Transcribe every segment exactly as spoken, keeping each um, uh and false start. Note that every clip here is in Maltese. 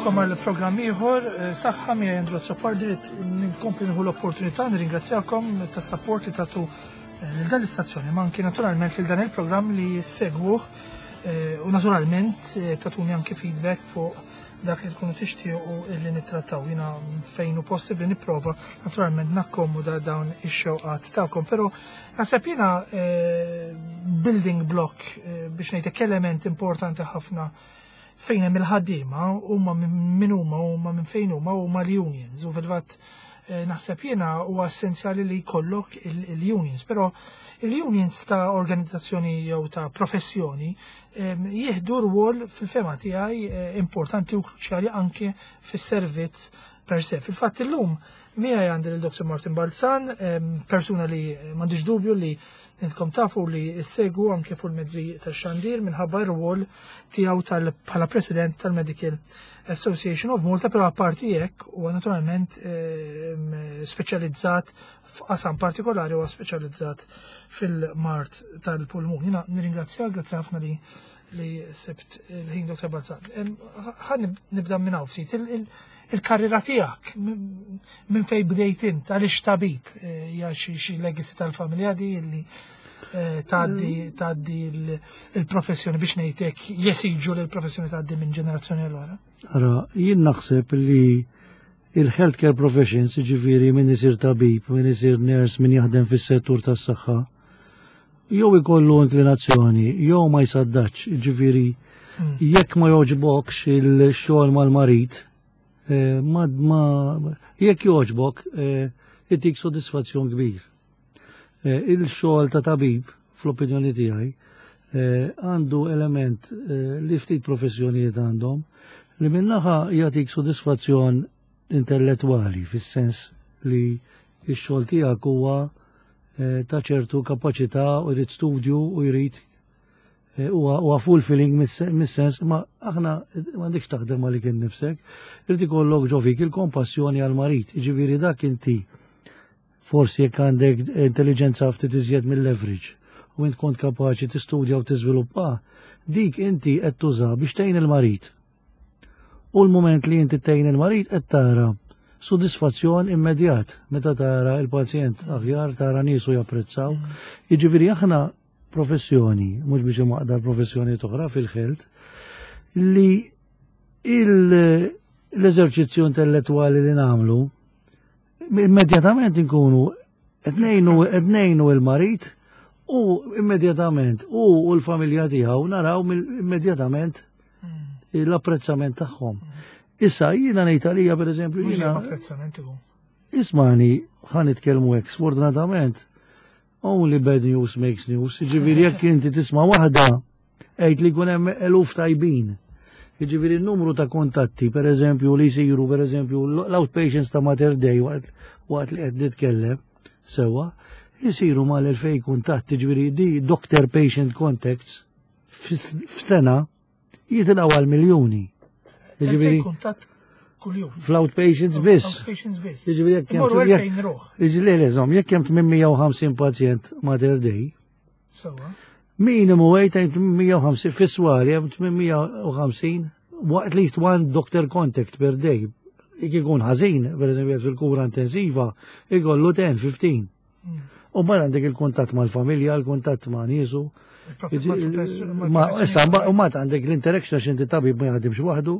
Nilqagħkom għal programm ieħor, eh, saħħa miegħi Andrew Azzopardi. Rrid ninkompli nieħu l-opportunità nirringrazzjakom tas-support li tagħtu eh, lil dan l-istazzjoni, ma anki naturalment lil dan il-programm li segwuh eh, u naturalment tagħtuni anki feedback fuq dak li tkunu tixtiequ li nittrattaw. Jiena fejn hu possibbli nipprova naturalment nakkomoda dawn ix-xewqat tagħkom, però naħseb jiena building block, biex ngħidlek, element importanti ħafna fejn hemm il-ħaddiema, huma minn huma, huma minn fejn huma, huma l-unions, u fil-fatt eh, naħseb jiena huwa essenzjali li jkollok il-unions, però il-unions ta' organizzazzjoni jew ta' professjoni jieħdu rwol fil-fehma tiegħi eh, importanti u kruċjali anke fis-servizz per se. Fil-fatt illum miegħi għandi lil Doctor Martin Balzan, persuna li m'għandix dubju li intkom tafu li ssegwu anke fuq il-mezzi tax-xandir minħabba r-rwol tiegħu bħala president tal-Medical Association of Malta, però apparti hekk huwa naturalment speċjalizzat f'qasam partikolari, huwa speċjalizzat fil-mard tal-pulmun. Jiena nirringrazzjak, grazzi ħafna li li sibt il-ħin, Doctor Balzan. Ħa nibda minn hawn ftit il-karriera tiegħek, minn fej bdejt int, għaliex tabib, eh, hija xi legacy tal-familja di li eh, tgħaddi tgħaddi il-professjoni, biex ngħidlek, jesiġu li l-professjoni tgħaddi minn ġenerazzjoni l oħra? Ara, jien naħseb li il-healthcare professions, ġifieri min isir tabib, min isir nurse, min jaħdem fis-settur tas-saħħa, jew ikollu inklinazzjoni, jew ma jsaddax, ġifieri mm. jekk ma joġbokx il-xogħol mal-marid, eh, ma, ma jekk joġbok, eh, itik sodisfazzjon kbir. Eh, il-xogħol ta' tabib, fl-opinjoni tiegħi, għandu element li ftit professjonijiet għandhom, li minnaħa jagħtik sodisfazzjon intellettwali, fis-sens li x-xogħol tiegħek huwa ta' ċertu kapaċità u jrid studju u jrid huwa fulfilling mis-sens, ma aħna m'għandekx taħdem għalik innifsek, irid ikollok ġo fik il-kompassjoni għal marid, ġifieri dak inti forsi jekk għandek intelligenza ftit iżjed mill-average u int kont kapaċi tistudja u tiżviluppa, dik inti qed tuża biex tgħin il-marid. U l-moment li inti tgħin il-marid qed tara sodisfazzjon immedjat meta tara il-pazjent aħjar, tara niesu japprezzaw. Jiġifieri aħna professjoni, mhux biex imaqdar professjoni oħra fil-health, li l-eżerċizzju intellettuali li nagħmlu immedjatament inkunu qed ngħinu il-marid u immedjatament u l-familja tiegħu naraw immedjatament l-apprezzament tagħhom. Issa jiena ngħid għalija, pereżempju, jiena apprezzament ikun. Ismani, ħa nitkellmu hekk, sfortunatament only bad news makes news. Ġifieri jekk inti tisma' waħda, għid li jkun hemm eluf tajbin. Ġifieri n-numru ta' kontatti, per eżempju, li jsiru, per eżempju, l-outpatients ta' Mater Dei waqt waqt li qed nitkellem, sewwa, jisiru mal-elfej kuntatti, ġifieri di doctor patient contacts f'sena jitilgħu għal miljuni. Ġifieri kuntatt kuljum. Fl-outpatients biss. Outpatients biss. Ġifieri jekk Imorru hemm elfejn ruħ. Ġifieri le, żomm, jekk hemm tmien mija u ħamsin pazjent Mater Dei, Sewwa. minimu għejt tmien mija u ħamsin fis-swali hemm tmien mija u ħamsin at least one doctor contact per day. Jekk ikun ħażin, per eżempju fil-kura intensiva, ikollu għaxra, ħmistax. Mm. U mbagħad għandek il-kuntatt mal-familja, il-kuntatt ma' niesu. Ma Ma issa u mbagħad għandek l-interaction għax inti tabib ma jaħdimx waħdu,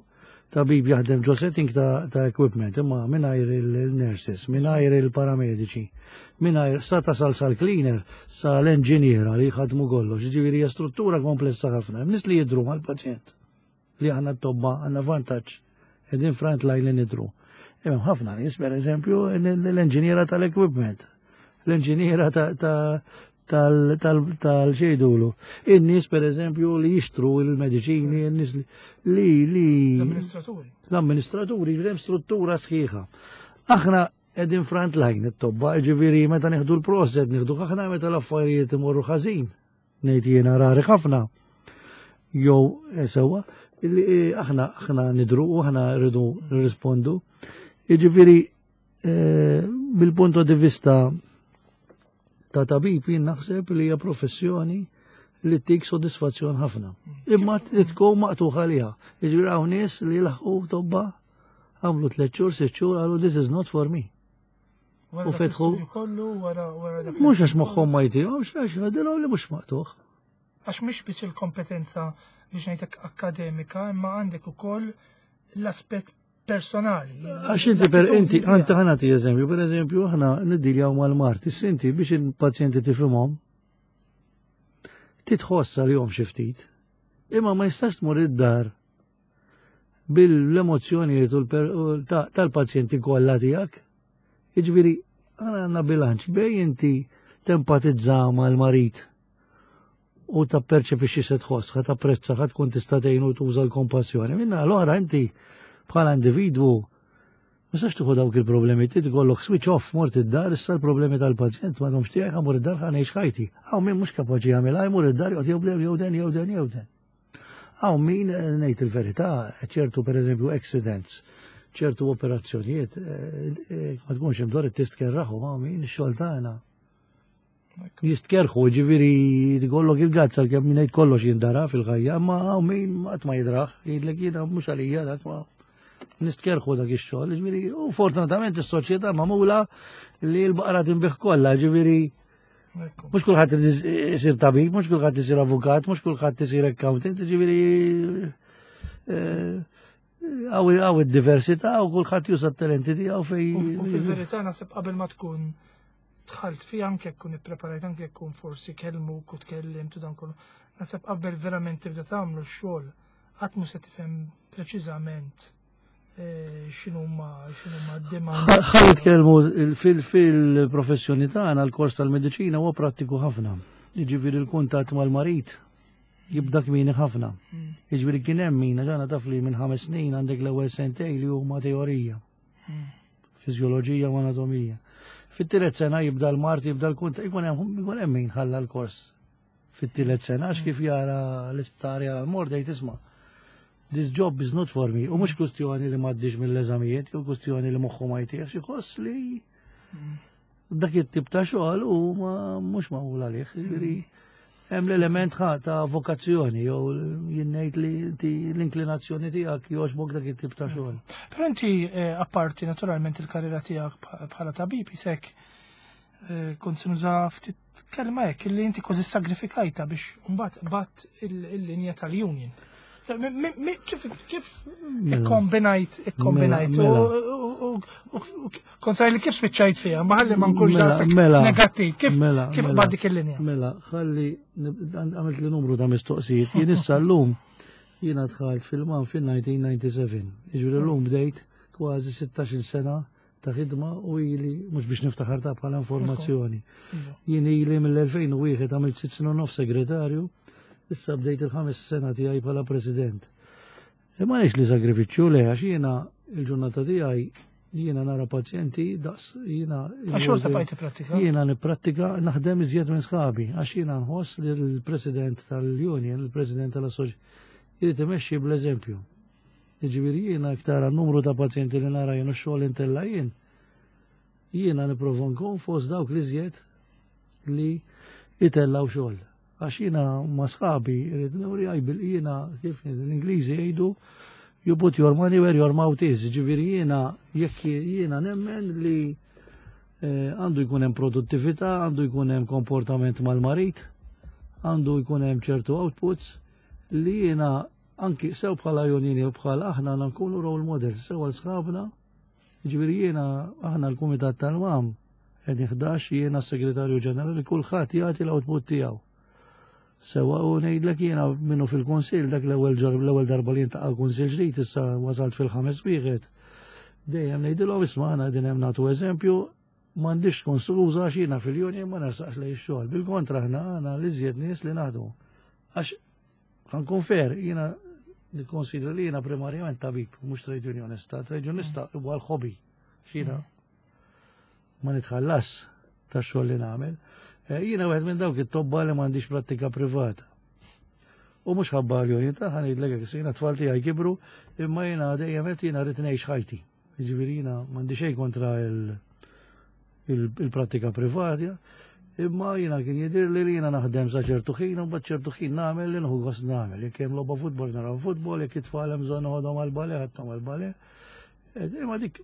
tabib jaħdem ġo setting ta', ta equipment, imma mingħajr il-nurses, mingħajr il-paramediċi, mingħajr sa tasal sal-cleaner, sa l-enġiniera li jħadmu kollox, ġifieri hija struttura komplessa ħafna. Hemm nies li jidru mal-pazjent li aħna t-tobba għandna vantaġġ qegħdin front line li nidru. Hemm ħafna nies, per eżempju, l-enġiniera tal-equipment, l-enġiniera ta' tal-xejdulu. In-nies, per eżempju, li jixtru il-mediċini, in-nies li li L-amministraturi. L-amministraturi, hemm struttura sħiħa. Aħna qegħdin front line it-tobba, ġifieri meta nieħdu l-proset, nieħdu aħna meta l-affarijiet imorru ħażin. Ngħid jiena rari ħafna. Jew eh, sewwa, illi eh, aħna aħna nidru u aħna rridu nirrispondu. Jiġifieri eh, bil-punto di vista ta' tabib jien naħseb li hija professjoni li tik sodisfazzjon ħafna. Imma tkun maqtuħ għaliha. Jiġifieri hawn nies li laħqu tobba Għamlu tliet xhur, sitt xhur, qalu, "This is not for me." Wara U dak fetħu- l-istudju kollu, wara wara dak Mhux għax moħħhom ma jtihomx, għax għadilhom li mhux maqtugħ. Għax mhix biss il-kompetenza biex ngħidlek akkademika, imma għandek ukoll l-aspett personali. Għax inti per inti għanta ħa nagħti eżempju, per eżempju aħna niddiljaw mal-mard, issa inti biex il-pazjenti tifhimhom titħossa li jom xi ftit. Imma ma jistax tmur id-dar bil-emozzjonijiet u l-per- u ta- tal-pazjenti kollha tiegħek. Jiġifieri aħna għandna bilanċ bejn inti tempatizza mal-marid u tapperċepixxi se tħoss, ħa tapprezza, ħa tkun tista' tgħinu tuża l-kompassjoni. Minna l-oħra inti bħala individwu ma tistax tieħu dawk il-problemi, ti tkollok switch off, mort id-dar, issa l-problemi tal-pazjent m'għadhomx tiegħi, ħa mmur id-dar, ħa ngħix ħajti. Hawn min mhux kapaċi jagħmilha, jmur id-dar joqgħod jew jew den jew den jew den. Hawn min, eh, ngħid il-verità, ċertu per eżempju accidents, ċertu operazzjonijiet, eh, eh, ma tkunx imdor tistkerraħu, ma min ix-xogħol tagħna. Jistkerħu, ġifieri tkollok il-gazza kemm min ngħid kollox jindara fil-ħajja, ma hawn min qatt ma jidraħ, jgħidlek jiena mhux għalija dak, ma nistkerħu dak ix-xogħol, ġifieri u fortunatament is-soċjetà magħmula li l-baqra tinbigħ kollha, ġifieri Ekku. mhux kulħadd isir tabib, mhux kulħadd isir avukat, mhux kulħadd isir accountant, ġifieri eh, hawn hawn id-diversità u kulħadd juża t-talenti tiegħu fej. U u fil-verità naħseb qabel ma tkun dħalt fi anke tkun ippreparajt, anke tkun forsi kellmuk u tkellimt u dan kollu. Naħseb qabel verament tibda tagħmlu x-xogħol qatt mhu se tifhem preċiżament eh, x'inhuma x'inhuma d-demand. Ħa nitkellmu fil-professjoni tagħna, l-kors tal-mediċina huwa prattiku ħafna. Jiġifieri l-kuntatt mal-marid jibda kmieni ħafna. Mm. Jiġifieri kien hemm min ġana taf li minn ħames snin għandek l-ewwel sentej li huma teorija, Mm. fiżjoloġija u anatomija. Fit-tielet sena jibda l-mard, jibda l-kuntatt, ikun hemm ikun hemm min ħalla l-kors fit-tielet sena għax kif jara l-isptar, jara l-mord, jgħid, "Isma', this job is not for me." U mhux kwistjoni li m'għaddix mill-eżamijiet, jew kwistjoni li moħħu ma jtiex, jħoss li dak it-tip ta' xogħol u ma mhux magħmul għalih. Jiġifieri hemm l-element ħa ta' vokazzjoni jew jien ngħid li inti l-inklinazzjoni tiegħek jogħġbok dak it-tip ta' xogħol. Però inti, eh, apparti naturalment il-karriera tiegħek bħ- bħala tabib, isek eh, kont se nuża ftit kelma hekk li inti kważi sagrifikajta biex mbagħad bat il-linja tal-union. Mi- mi- mi- Kif kif ikkombinajt ikkombinajt Mela, u- u- u- u- kont li kif spiċċajt fiha, ma ħalli ma nkunx Mela, daqshekk mela, negattiv, kif mela, kif mela. bad dik il-linja? Mela, ħalli nib- għamilt li numru ta' mistoqsijiet. Jien issa llum jiena dħalt fil-MAM fil-elf disa' mija u disgħa u disgħin. Jiġifieri llum bdejt kważi sittax-il sena ta' ħidma u ili mhux biex niftaħar ta' bħala informazzjoni. Iva. Jien ili mill-elfejn u wieħed, għamilt sitt snin u nofs segretarju, issa bdejt il-ħames sena tiegħi bħala president. Imma nix li sagrifiċċju le, għax jiena il-ġurnata tiegħi jiena nara pazjenti daqs jiena. Għax xorta bqajt tipprattika. Jiena nipprattika, naħdem iżjed minn sħabi, għax jiena nħoss li l-president tal-union, il-president tal-assoċ, jrid imexxi bl-eżempju. Jiġifieri jiena iktar numru ta' pazjenti li nara jien u xogħol intella jien, jiena nipprova nkun fost dawk li iżjed li jitellaw xogħol. Għax jiena ma' sħabi irrid nuri bil jiena, kif l-Ingliżi jgħidu, "You put your money where your mouth is." Ġifieri jiena jekk jiena nemmen li eh, għandu jkun hemm produttività, għandu jkun hemm komportament mal-marid, għandu jkun hemm ċertu outputs li jiena anki sew bħala unjoni u bħala aħna għandna nkunu role models sew għal sħabna. Ġifieri jiena aħna l-Kumitat tal-MAM qegħdin ħdax, jiena s-Segretarju Ġenerali, kulħadd jagħti l-output tiegħu. Sewa u ngħidlek jiena minnu fil-Kunsill dak l-ewwel ġar l-ewwel darba li jintaqa' l-Kunsill ġdid, issa wasalt fil-ħames wieħed. Dejjem ngħidilhom, isma', aħna qegħdin hemm nagħtu eżempju, m'għandix tkun skuża għax jiena fil-union ma nersaqx lejn ix-xogħol. Bil-kontra, aħna għandna l-iżjed nies li naħdmu. Għax ħa nkun fair, jiena nikkonsidra li jiena primarjament tabib, mhux trade unionista. Trade unionista huwa l-hobby. X'jiena ma nitħallas tax-xogħol li nagħmel. Eh, Jiena wieħed minn dawk it-tobba li m'għandix prattika privata. U mhux ħabba l-union ta', ħa ngħidlek hekk, jiena tfal tiegħi kibru, imma jiena dejjem qed jiena rrid ngħix ħajti. Jiġifieri jiena m'għandi xejn kontra il- il- il-prattika privata, imma jiena kien jidir li jiena naħdem sa ċertu ħin u mbagħad ċertu ħin nagħmel li nieħu gost nagħmel. Jekk hemm logħba futbol naraw futbol, jekk it-tfal hemm bżonn noħodhom għall-ballet, ħadthom għall-ballet. Imma dik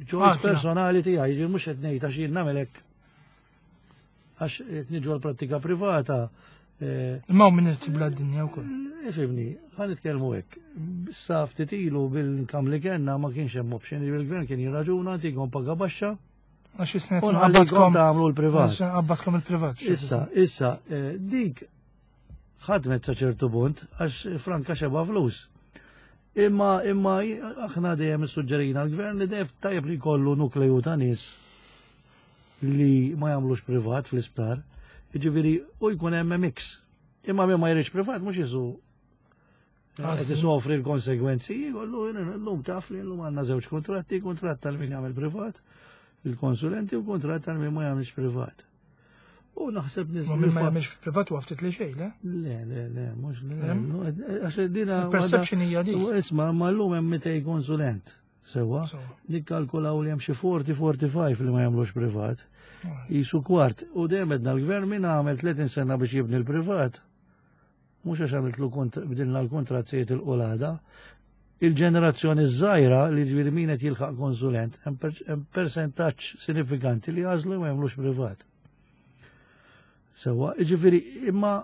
choice personali tiegħi, ġifieri mhux qed ngħid għax jien nagħmel hekk għax qed niġu għall-prattika privata. Imma hawn min irid jibla d-dinja wkoll. Ifhimni, ħa nitkellmu hekk. Sa ftit ilu bil-kam li kellna ma kienx hemm option, il-gvern kien jirraġuna ntikom paga baxxa. Għax isnet nħallikom tagħmlu l-privat. Qabbatkom il-privat. Issa, issa, dik ħadmet sa ċertu punt għax franka xeba flus. Imma imma aħna dejjem issuġġerina l-gvern li dejjem tajjeb li jkollu nukleju ta' nies li ma jagħmlux privat fl-isptar. Jiġifieri u jkun hemm mix. Imma min ma jridx privat mhux jisu qed isofri l-konsegwenzi, jkollu llum taf li llum għandna żewġ kuntratti, kuntratt tal min jagħmel privat, il-konsulenti u kuntratt tal min ma jagħmilx privat. U naħseb nies. Ma min ma jagħmilx privat u ftit li xejn, le? Le, le, le, mhux le. Għax dina. Perception hija dik. Isma' ma llum hemm mitej konsulent. Sewa, nikkalkulaw li hemm xi forty forty-five li ma jagħmlux privat. Jisu kwart. U dejjem għedna l-gvern min għamel tletin sena biex jibni l-privat. Mhux għax għamiltlu bdilna l-kontrazzijiet il-qolada. Il-ġenerazzjoni żgħira li ġifieri min qed jilħaq konsulent hemm persentaġġ sinifikanti li għażlu ma jagħmlux privat. Sewa, ġifieri imma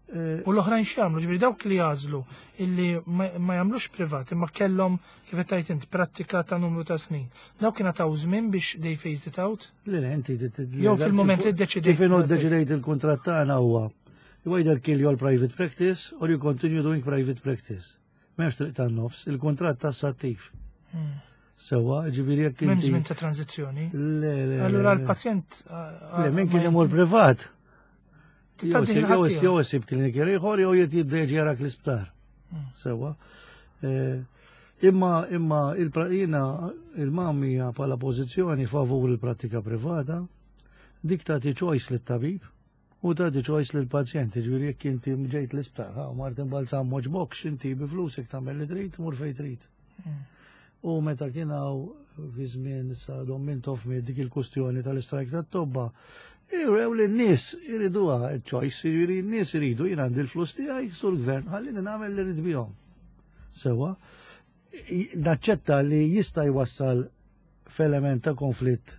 U l-oħrajn x'jagħmlu, ġifieri dawk li jagħżlu illi ma jagħmlux privat imma kellhom kif qed tgħid int prattika ta' numru ta' snin. Dawk kien taw żmien biex they phase it out? Le, le, inti jew fil-mument li ddeċidejt. Kif inhu ddeċidejt il-kuntratt tagħna huwa you either kill your private practice or you continue doing private practice. M'hemmx triq tan-nofs, il-kuntratt tassattiv. Sewa, ġifieri jekk inti. M'hemm żmien ta' tranzizzjoni. Le, le. Allura l-pazjent. Le, min kien imur privat. Jew isib klinik ieħor jew jibda jiġi jarak l-isptar. Sewa. Imma imma il-jiena il-MAM hija bħala pożizzjoni favur il-prattika privata, dik tagħti choice lit-tabib u tagħti choice lill-pazjent. Ġifieri jekk inti ġejt l-isptar, ha, Martin Balzan moġbokx, inti bi flusek tagħmel li trid, mur fejn trid. U meta kien hawn fi żmien sa Dom Mintoff dik il-kustjoni tal-istrajk tat-tobba, Irew li n-nies iriduha choice, jiġifieri n-nies iridu jien għandi l-flus tiegħi sur gvern, ħallini nagħmel li rrid bihom. Sewa, naċċetta li jista' jwassal f'element ta' konflitt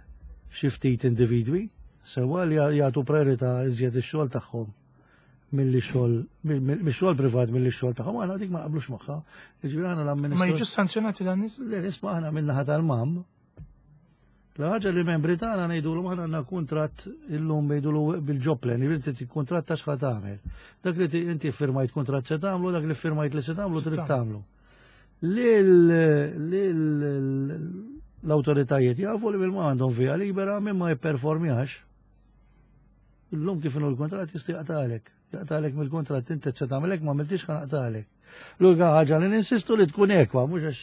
xi ftit individwi, sewa li jagħtu priorità iżjed ix-xogħol tagħhom milli xogħol mix-xogħol privat milli x-xogħol tagħhom, aħna dik ma naqblux magħha. Jiġifieri aħna l-amministrazzjoni. Ma jiġux sanzjonati dan nies? Le, nisma' aħna min-naħa tal-MAM. La ħaġa li membri tagħna ngħidulhom aħna għandna kuntratt illum ngħidulu bil-job plan, jiġifieri inti kuntratt ta' x'ħa tagħmel. Dak li inti firmajt kuntratt se tagħmlu, dak li firmajt li se tagħmlu trid tagħmlu. L-awtoritajiet jafu li bil-ma għandhom via libera min ma jipperformjax. Illum kif inhu l-kuntratt jista' jaqtagħlek. Jaqtagħlek mill-kuntratt inti se tagħmel hekk ma għamiltix ħa naqtagħlek. L-unika ħaġa li ninsistu li tkun ekwa, mhux għax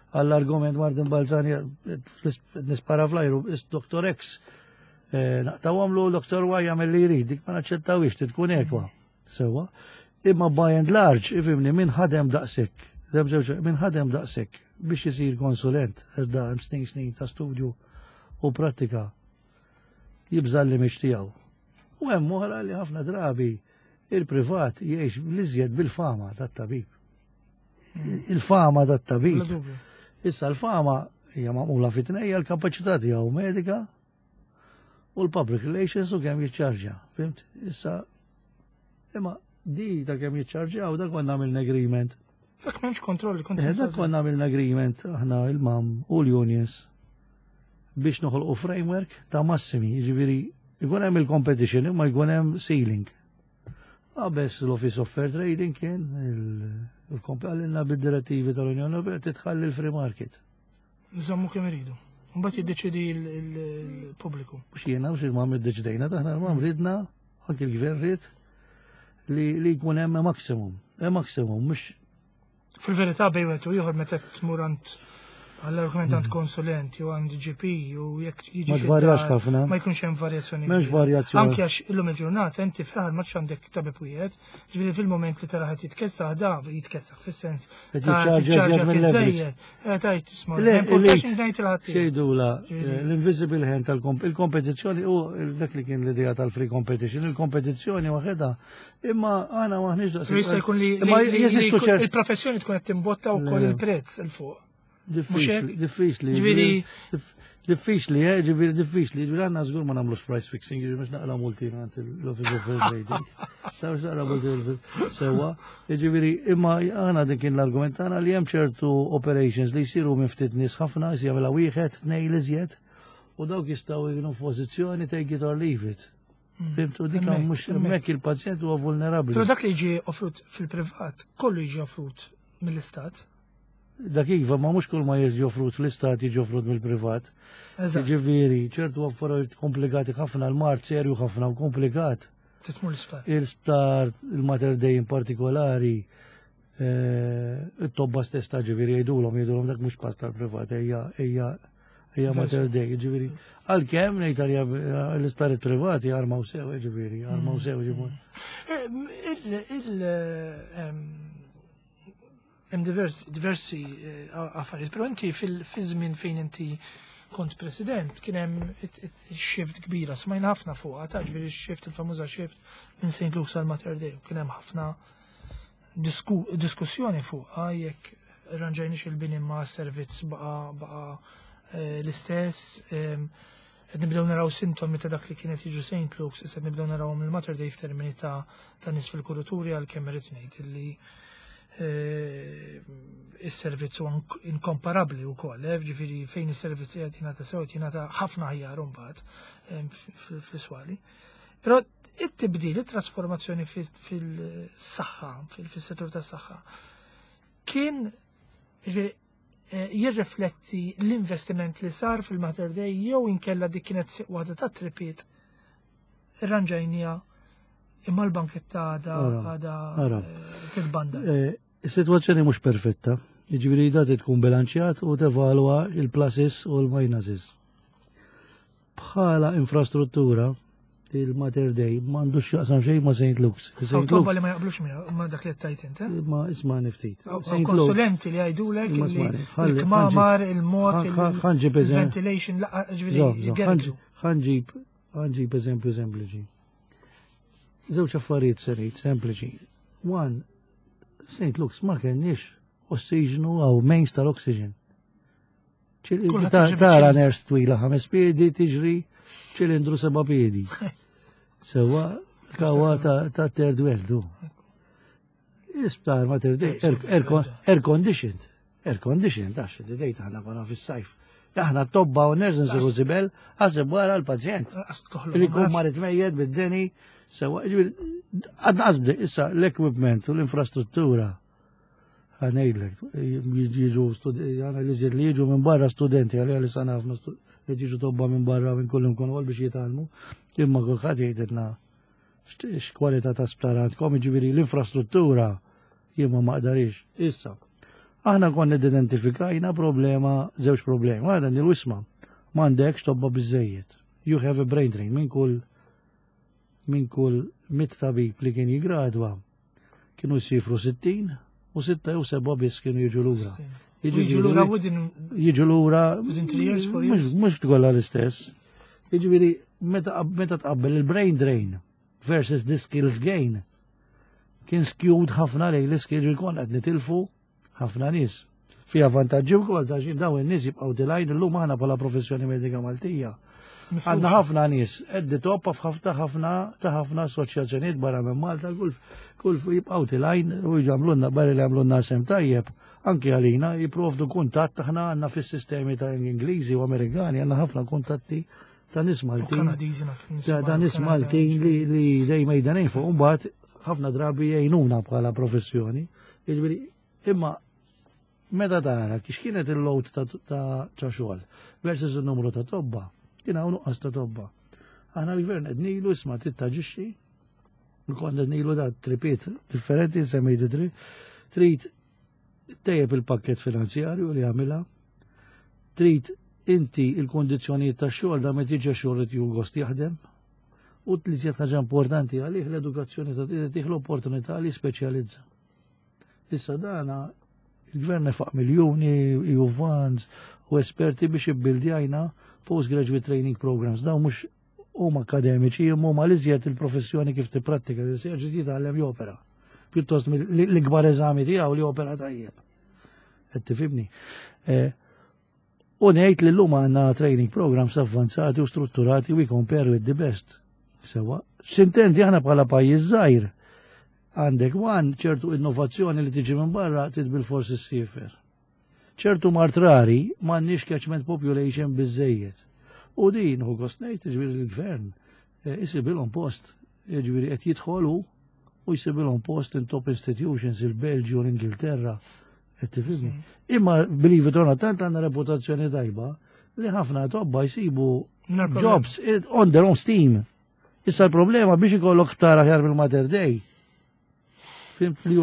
għall-argument Martin Balzani nispara flajru, Doktor X naqtawhomlu Doktor Y jagħmel li jrid, dik ma naċċettawix, tkun ekwa. Sewa. Imma by and large, ifhimni, min ħadem daqshekk, min ħadem daqshekk biex isir konsulent, għax da hemm snin snin ta' studju u prattika, jibża' li mhix tiegħu. U hemm oħra li ħafna drabi il-privat jgħix l-iżjed bil-fama tat-tabib. Il-fama tat-tabib. Issa l-fama hija magħmula fit-tnejja l-kapaċità tiegħu medika u l-public relations u kemm jiċċarġja. Fimt? Issa imma di ta' kemm jiċċarġjaw dak konna għamilna agreement. Dak m'hemmx kontroll. Dak konna għamilna agreement aħna il-MAM u l-unions biex noħolqu framework ta' massimi, jiġifieri jkun hemm il-competition imma jkun hemm ceiling. Qabes l-Office of Fair Trading kien il-kompalina bid-direttivi tal-Unjoni Ewropea titħalli l-free market. Nżommu kemm iridu. Mbagħad jiddeċidi l-pubbliku. Mhux jiena mhux il-MAM iddeċidejna, aħna l-MAM ridna, anke l-gvern rid li jkun hemm maximum. Hemm maximum mhux. Fil-verità bejn wieħed u ieħor meta tmur għand għall-argument għand konsulent jew għand G P u jekk jiġi. Ma tvarjax ħafna. Ma jkunx hemm varjazzjoni. M'hemmx varjazzjoni. Anke għax illum il-ġurnata inti fl-aħħar ma għandek tabib wieħed, ġifieri fil-mument li tara ħadd jitkessaħ da jitkessaħ fis-sens. Jiċċarġja mill-leverage. Tajt isma' ngħid il-ħadd. Xejdula l-invisible hand tal-kompetizzjoni u dak li kien l-idea tal-free competition, il-kompetizzjoni waħedha, imma aħna maħniex daqs. Jista' jkun li il-professjoni tkun qed timbotta wkoll il-prezz il fuq. Diffiċli, diffiċli. Diffiċli, eh, ġifieri diffiċli, ġifieri għandna żgur ma nagħmlux price fixing, ġifieri mhux naqra multi għand l-Office of Fair Trading. Sa mhux naqra multi sewwa. Ġifieri imma aħna dik kien l-argument tagħna li hemm ċertu operations li jsiru minn ftit nies ħafna, jagħmilha wieħed, tnejn iżjed, u dawk jistgħu jkunu f'pożizzjoni take it or leave it. Hmm. Fhimtu, dik mhux hemmhekk il-pazjent huwa vulnerabbli. Però dak li jiġi offrut fil-privat, kollu jiġi offrut mill-istat. Dak iva, ma mhux kull ma jiġi offrut fl-istat jiġi offrut mill-privat. Ġifieri, ċertu affarijiet komplikati ħafna, l-mard serju ħafna u komplikat. Titmur l-isptar. Il-sptar, il-Mater Dei in partikolari, eh, it-tobba stess ta' ġifieri jgħidulhom jgħidulhom dak mhux pass tal-privat, ejja ejja ejja Mater Dei, ġifieri. Għalkemm ngħid l-isptarijiet privati armaw sew, ġifieri, armaw sew, ġifieri. Eh, il hemm diversi eh, affarijiet, però inti fil-żmien fejn inti kont president kien hemm shift kbira, smajna ħafna fuqha, ta' ġifieri shift il-famuża shift minn Saint Luke's għal Mater Dei, kien hemm ħafna diskussjoni fuqha jekk ranġajniex il-bini ma' servizz baqa baqa eh, l-istess, qed nibdew naraw sintomi ta' dak li kienet jiġu Saint Luke's, issa nibdew naraw mill-Mater Dei f'termini ta' ta' nies fil-kurituri, għalkemm irrid ngħid illi eh, is-servizz huwa inkomparabbli wkoll, eh, ġifieri fejn is-servizz qed jingħata sew qed jingħata ħafna aħjar imbagħad fl-iswali. Però it-tibdil, it-trasformazzjoni fil-saħħa, fil-settur tas-saħħa, kien eh, jirrifletti l-investiment li sar fil-Mater Dei jew inkella dik kienet waħda ta' tripiet irranġajnija imma l-banketta għada għada eh, fil-banda? Eh, is-sitwazzjoni mhux perfetta, jiġifieri da tkun bilanċjat u tevalwa il-pluses u l-minuses. Bħala infrastruttura, il-Mater Dei m'għandux x'jaqsam xejn ma' Saint Luke's. Saint Luke's li ma jaqblux miegħu ma' dak li tajt inti. Ma isma' niftit. Konsulenti li jgħidulek il-kmamar, il-mod, il-ventilation, ġifieri. Ħa nġib ħa nġib eżempju sempliċi. Żewġ affarijiet serit, sempliċi. One, Saint Luke's ma kenniex ossiġnu għaw mains tal-oxygen. Tara nurse twila ħames piedi tiġri ċilindru seba' piedi. Sewa kawa ta' third world. Isptar Mater Dei, air conditioned. Air conditioned, għax id-dejt aħna konna fis-sajf. Aħna tobba u nurse nsiru zibel, għasib wara l-pazjent. Li kun marit mejjed bid-deni, sewa, għadna qasbdi, issa l-equipment u l-infrastruttura. Ħa ngħidlek, jiġu, għana li li jiġu minn barra studenti, għalli għalli sana ħafna li jiġu tobba minn barra minn kullum kun għol biex jitgħallmu, imma kulħadd jgħidilna x'kwalità ta' sptar għandkom, jiġifieri l-infrastruttura jien ma maqdarix. Issa, aħna konna identifikajna problema, żewġ problemi. Għada nil-wisma, m'għandekx tobba biżejjed. You have a brain drain minn kull minn kull mitt tabib li kien jigradwa kienu jsifru sittin u sitta jew seba' biss kienu jiġu lura. Jiġu lura within jiġu lura within three years, four years. Mhux tkollha l-istess. Jiġifieri meta meta tqabbel il-brain drain versus the skills gain kien skewed ħafna lejn l-skills li konna qed nitilfu ħafna nies. Fija vantaġġi wkoll ta' xi dawn in-nies jibqgħu tilgħin illum aħna bħala professjoni medika Maltija. Għandna ħafna nies qed toppa f'ħafna ħafna ta' ħafna assoċjazzjonijiet barra minn Malta, kull kull jibqgħu tilgħin u jagħmlulna barra li jagħmlulna sem tajjeb. Anki għalina jipprovdu kuntatt, aħna għandna fis-sistemi ta' Ingliżi u Amerikani għandna ħafna kuntatti ta' nies Maltin. Ta' nies Maltin li li dejjem jdanin fuq mbagħad ħafna drabi jgħinuna bħala professjoni. Jiġifieri imma meta tara kix kienet il-load ta' ta' xogħol versus il-numru ta' tobba, kien hawn nuqqas ta' tobba. Aħna l-gvern qed ngħidu isma' trid taġixxi, konna qed ngħidu da tripiet differenti semmejt tri, trid tejjeb il-pakket finanzjarju li għamilha, trid inti il-kondizzjonijiet tax-xogħol da meta jiġi xogħol qed jieħu gost jaħdem, u li żjed ħaġa importanti għalih l-edukazzjoni ta' tih l-opportunità li speċjalizza. Issa dana il-gvern nefaq miljuni, E U funds u esperti biex jibbildjajna postgraduate training programs. Daw mhux huma akademiċi, imma huma li żjed il-professjoni kif tipprattika, li se ġid jitgħallem jopera. Pjuttost l-ikbar eżami tiegħu li opera tajjeb. Qed tifhimni? Eh, U ngħid li llum għandna training programs avvanzati u strutturati, we compare with the best. Sewa, s'intendi, aħna bħala pajjiż żgħir għandek one ċertu innovazzjoni li tiġi minn barra trid bilfors issiefer. Ċertu mard rari m'għandniex catchment population biżejjed. U din hu gost ngħid, ġifieri l-gvern eh, isibilhom post, ġifieri qed jidħolu u jsibilhom post in top institutions, il-Belġju, l-Ingilterra, qed tifhimni. Imma believe it or not, tant għandna reputazzjoni tajba li ħafna tobba jsibu jobs on their own steam. Issa l-problema biex ikollok sptar aħjar mill-Mater Dei. Fhimt, li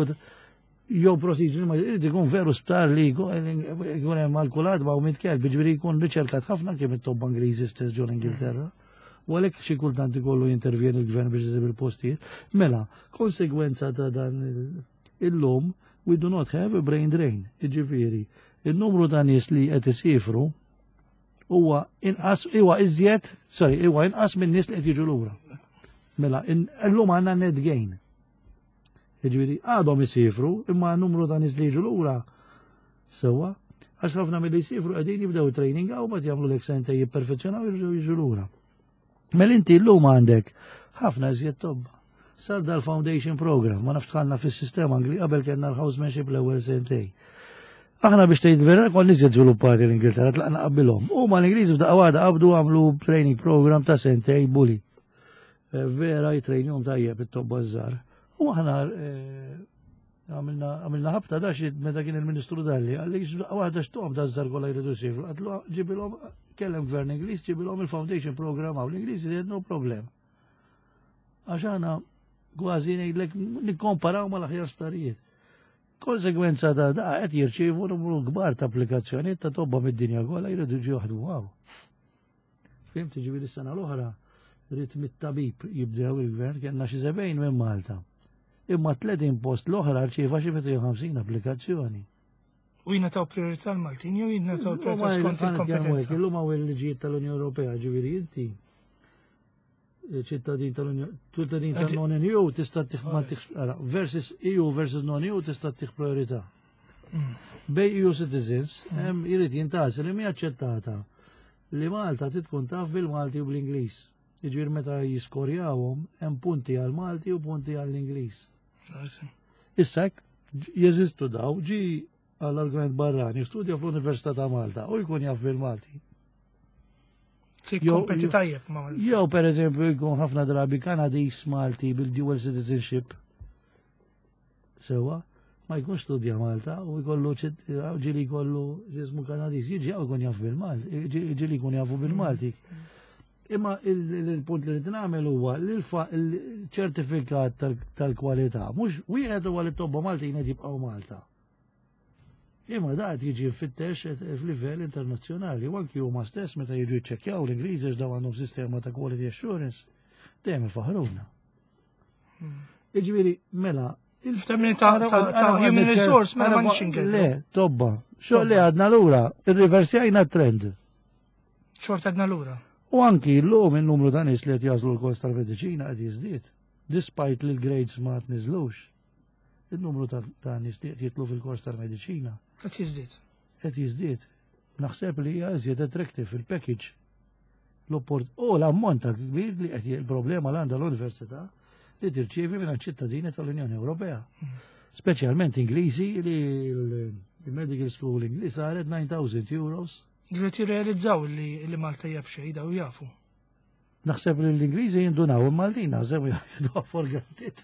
jew procedure ma jrid ikun veru sptar li jkun hemm alkulat ma' mitt kelb, ġifieri jkun riċerkat ħafna kemm it-tobba Ingliżi stess ġol Ingilterra. U għalhekk xi kultant ikollu jintervjeni l-gvern biex isib il-postijiet. Mela, konsegwenza ta' dan illum, we do not have a brain drain. Jiġifieri, il-numru ta' nies li qed isifru huwa inqas, huwa iżjed, sorry, huwa inqas minn nies li qed jiġu lura. Mela, illum għandna net gain. Jiġifieri, għadhom isifru, imma numru ta' nies li jiġu lura sewwa, għax ħafna mill-li jisifru qegħdin jibdew training hawn, bat jagħmlu l sentejn, jipperfezzjonaw, jirġgħu jiġu lura. Mela inti llum għandek ħafna iżjed tobba. Sar dal-foundation program, ma nafx dħalna fis-sistema Angli, qabel kellna l-housemanship l-ewwel sentejn. Aħna, biex tgħid vera, konna iżjed żviluppati l-Ingilterra, tlaqna qabilhom. U ma l-Ingliżi f'daqqa waħda qabdu għamlu training program ta' sentejn bully. Eh, vera jitrejnjhom tajjeb it-tobba żgħar. U aħna eh, għamilna ħabta da xi meta kien il-Ministru Dalli, qalli f'daqqa waħda x'tob da żgħar kollha jridu jsifru. Għedtlu ġibilhom, kellem gvern Ingliż, ġibilhom il-foundation program hawn. L-Ingliżi they had no problem. Għax aħna kważi ngħidlek nikkomparaw mal-aħjar sptarijiet. Konsegwenza ta' da qed jirċievu numru kbar ta' applikazzjonijiet ta' tobba mid-dinja kollha jridu jiġu jaħdmu hawn. Fhimt, ġifieri s-sena l-oħra rrid mit-tabib jibdew il-gvern, kellna xi sebgħin minn Malta. Imma tletin post l-oħra rċieva xi mitejn u ħamsin applikazzjoni. U jingħataw priorità l-Maltin jew jingħataw priorità skont il-kompetenza? Illum hawn il-liġijiet tal-Unjoni Ewropea, ġifieri inti ċittadin tal-Unjoni, ċittadin tal-non-E U tista' tih ma versus E U versus non-E U tista' tih priorità. Mm. Bej E U citizens hemm jrid jintgħażel li mhi aċċettata li Malta tkun taf bil-Malti u bl-Ingliż. Jiġifieri meta jiskorjawhom hemm punti għal Malti u punti għall-Ingliż. Issa jeżistu daw, ġi għall-argument barrani, studja fl-Università ta' Malta u jkun jaf bil-Malti. Kompeti tajjeb ma' Jew per eżempju jkun ħafna drabi Kanadis Malti bil-dual citizenship. Sewa, ma jkunx studja Malta u jkollu ġieli jkollu ġismu Kanadis, jiġi hawn jkun jaf bil-Malti, ġieli jkun jafu bil-Malti. Imma il-punt li rrid nagħmel huwa li l-ċertifikat tal-kwalità mhux wieħed huwa li t-tobba Maltin qed jibqgħu Malta. Imma da qed jiġi mfittex f'livell internazzjonali u anki huma stess meta jiġu jiċċekkjaw l-Ingliżi daw għandhom sistema ta' quality assurance, dejjem ifaħruna. Hmm. Jiġifieri mela F'termini ta' human resource, mela ma nix. Le, tobba. Xogħol li għadna lura, irriversjajna trend. Xorta għadna lura. U anki l-lum il-numru ta' nies li qed jagħżlu l-kors tal-mediċina qed jiżdied. Despite li l-grades ma tniżlux. Il-numru ta' nies li qed jidħlu fil-kors tal-mediċina. Qed jiżdied. Qed jiżdied. Naħseb li hija iżjed attractive fil-package. L-opport u l-ammont ta' kbir li qed il-problema l għandha l-università li tirċievi minn ċittadini tal-Unjoni Ewropea. Hmm. Speċjalment Ingliżi, li l-medical school Ingliż saret nine thousand euros. Ġiet jirrealizzaw li li Malta hija b'xejn, daw jafu. Naħseb li l-Ingliżi jindunaw, il-Maltin naħseb jieħdu for granted.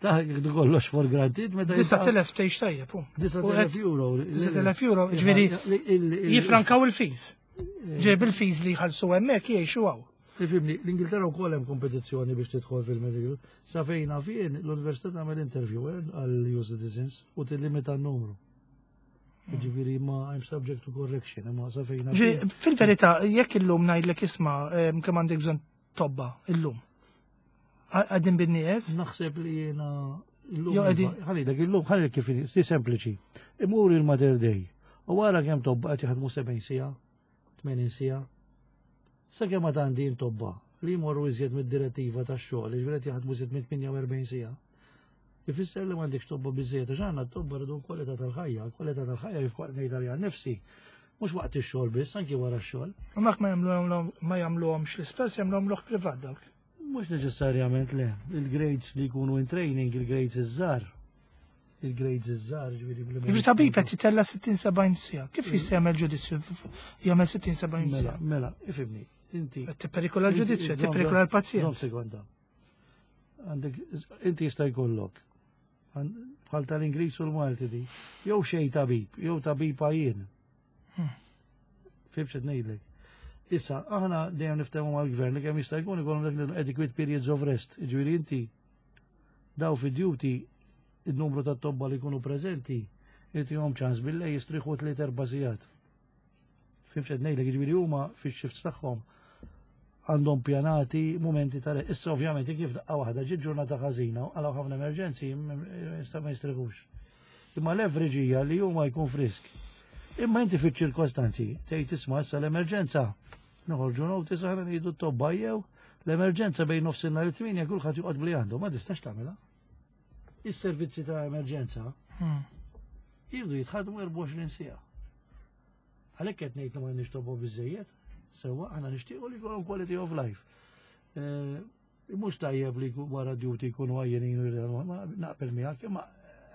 Ta' jieħdu kollox for granted. Meta Disa' telef tgħix tajjeb. Disa' telef euro. Disa' telef euro, ġifieri jifrankaw il-fees. Ġifieri bil-fees li jħallsu hemmhekk jgħixu hawn. Ifhimni, l-Ingilterra wkoll hemm kompetizzjoni biex tidħol fil-medical. Sa fejn fien l-università tagħmel interview eh, għal E U citizens u tillimita n-numru. Ġifieri ma I'm subject to correction, ma sa fejn. Fil-verità, jekk illum ngħidlek isma' kemm għandek bżonn tobba illum. Qegħdin bin-nies? Naħseb li jiena illum. Ħalli illum, ħalli kif si sempliċi. Imur il-Mater Dei. U wara kemm tobba qed jaħdmu sebgħin siegħa, tmenin siegħa. Sa kemm għad għandi tobba li jmorru iżjed mid-direttiva tax-xogħol, jiġifieri qed jaħdmu iżjed minn tmienja u erbgħin siegħa. Ifisser li m'għandekx tobba biżejjed, għax għandna tobba rridu kwalità tal-ħajja, kwalità tal-ħajja jif ngħid għalija nifsi. Mhux waqt ix-xogħol biss, anki wara x-xogħol. U mak ma jagħmluhom ma jagħmluhomx l-isptar, jagħmluhom lok privat dawk. Mhux neċessarjament le. Il-grades li jkunu in training, il-grades iż-żgħar. Il-grades iż-żgħar, ġifieri bli- Jiġifieri tabib qed jitella sittin sebgħin siegħa. Kif jista' jagħmel ġudizzju jagħmel sittin sebgħin Mela, siegħa? mela, ifhimni. Inti. Qed tipperikola l-ġudizzju, qed tipperikola Żomm l-pazjent. sekonda. Għandek, inti jista' jkollok. Għan- Bħal tal-Ingliż u l-Malti di. Jew xej tabib, jew tabib għajjien. Hmm. Fhimt x'qed ngħidlek? Issa, aħna dejjem niftehmu mal-gvern li kemm jista' jkun ikollhom dak l-adequate periods of rest. Ġifieri inti daw fi duty il-numru ta' tobba li jkunu preżenti, jom ċans billejl jistriħu tliet erba' sigħat. Fhimt x'qed ngħidlek? Ġifieri huma fix-shifts tagħhom għandhom pjanati momenti ta' Issa ovvjament kif daqqa waħda ġiet ġurnata ħażina u għalaw ħafna emerġenzi jista' ma jistriħux. Imma l-average hija li huma jkun frisk. Imma inti fiċ-ċirkostanzi tgħid, isma', issa l-emerġenza noħorġu notice, aħna ngħidu t-tobba jew l-emerġenza bejn nofsinhar u tmienja kulħadd joqgħod bli għandu, ma tistax tagħmilha. Is-servizzi ta' emerġenza Hmm. jridu jitħadmu erbgħa u għoxrin siegħa. Għalhekk qed ngħid li m'għandniex tobba biżejjed, sewwa aħna nixtiequ li jkollhom quality of life. Eh, Mhux tajjeb li jkun wara duty jkunu għajjenin u jridu, ma naqbel miegħek, imma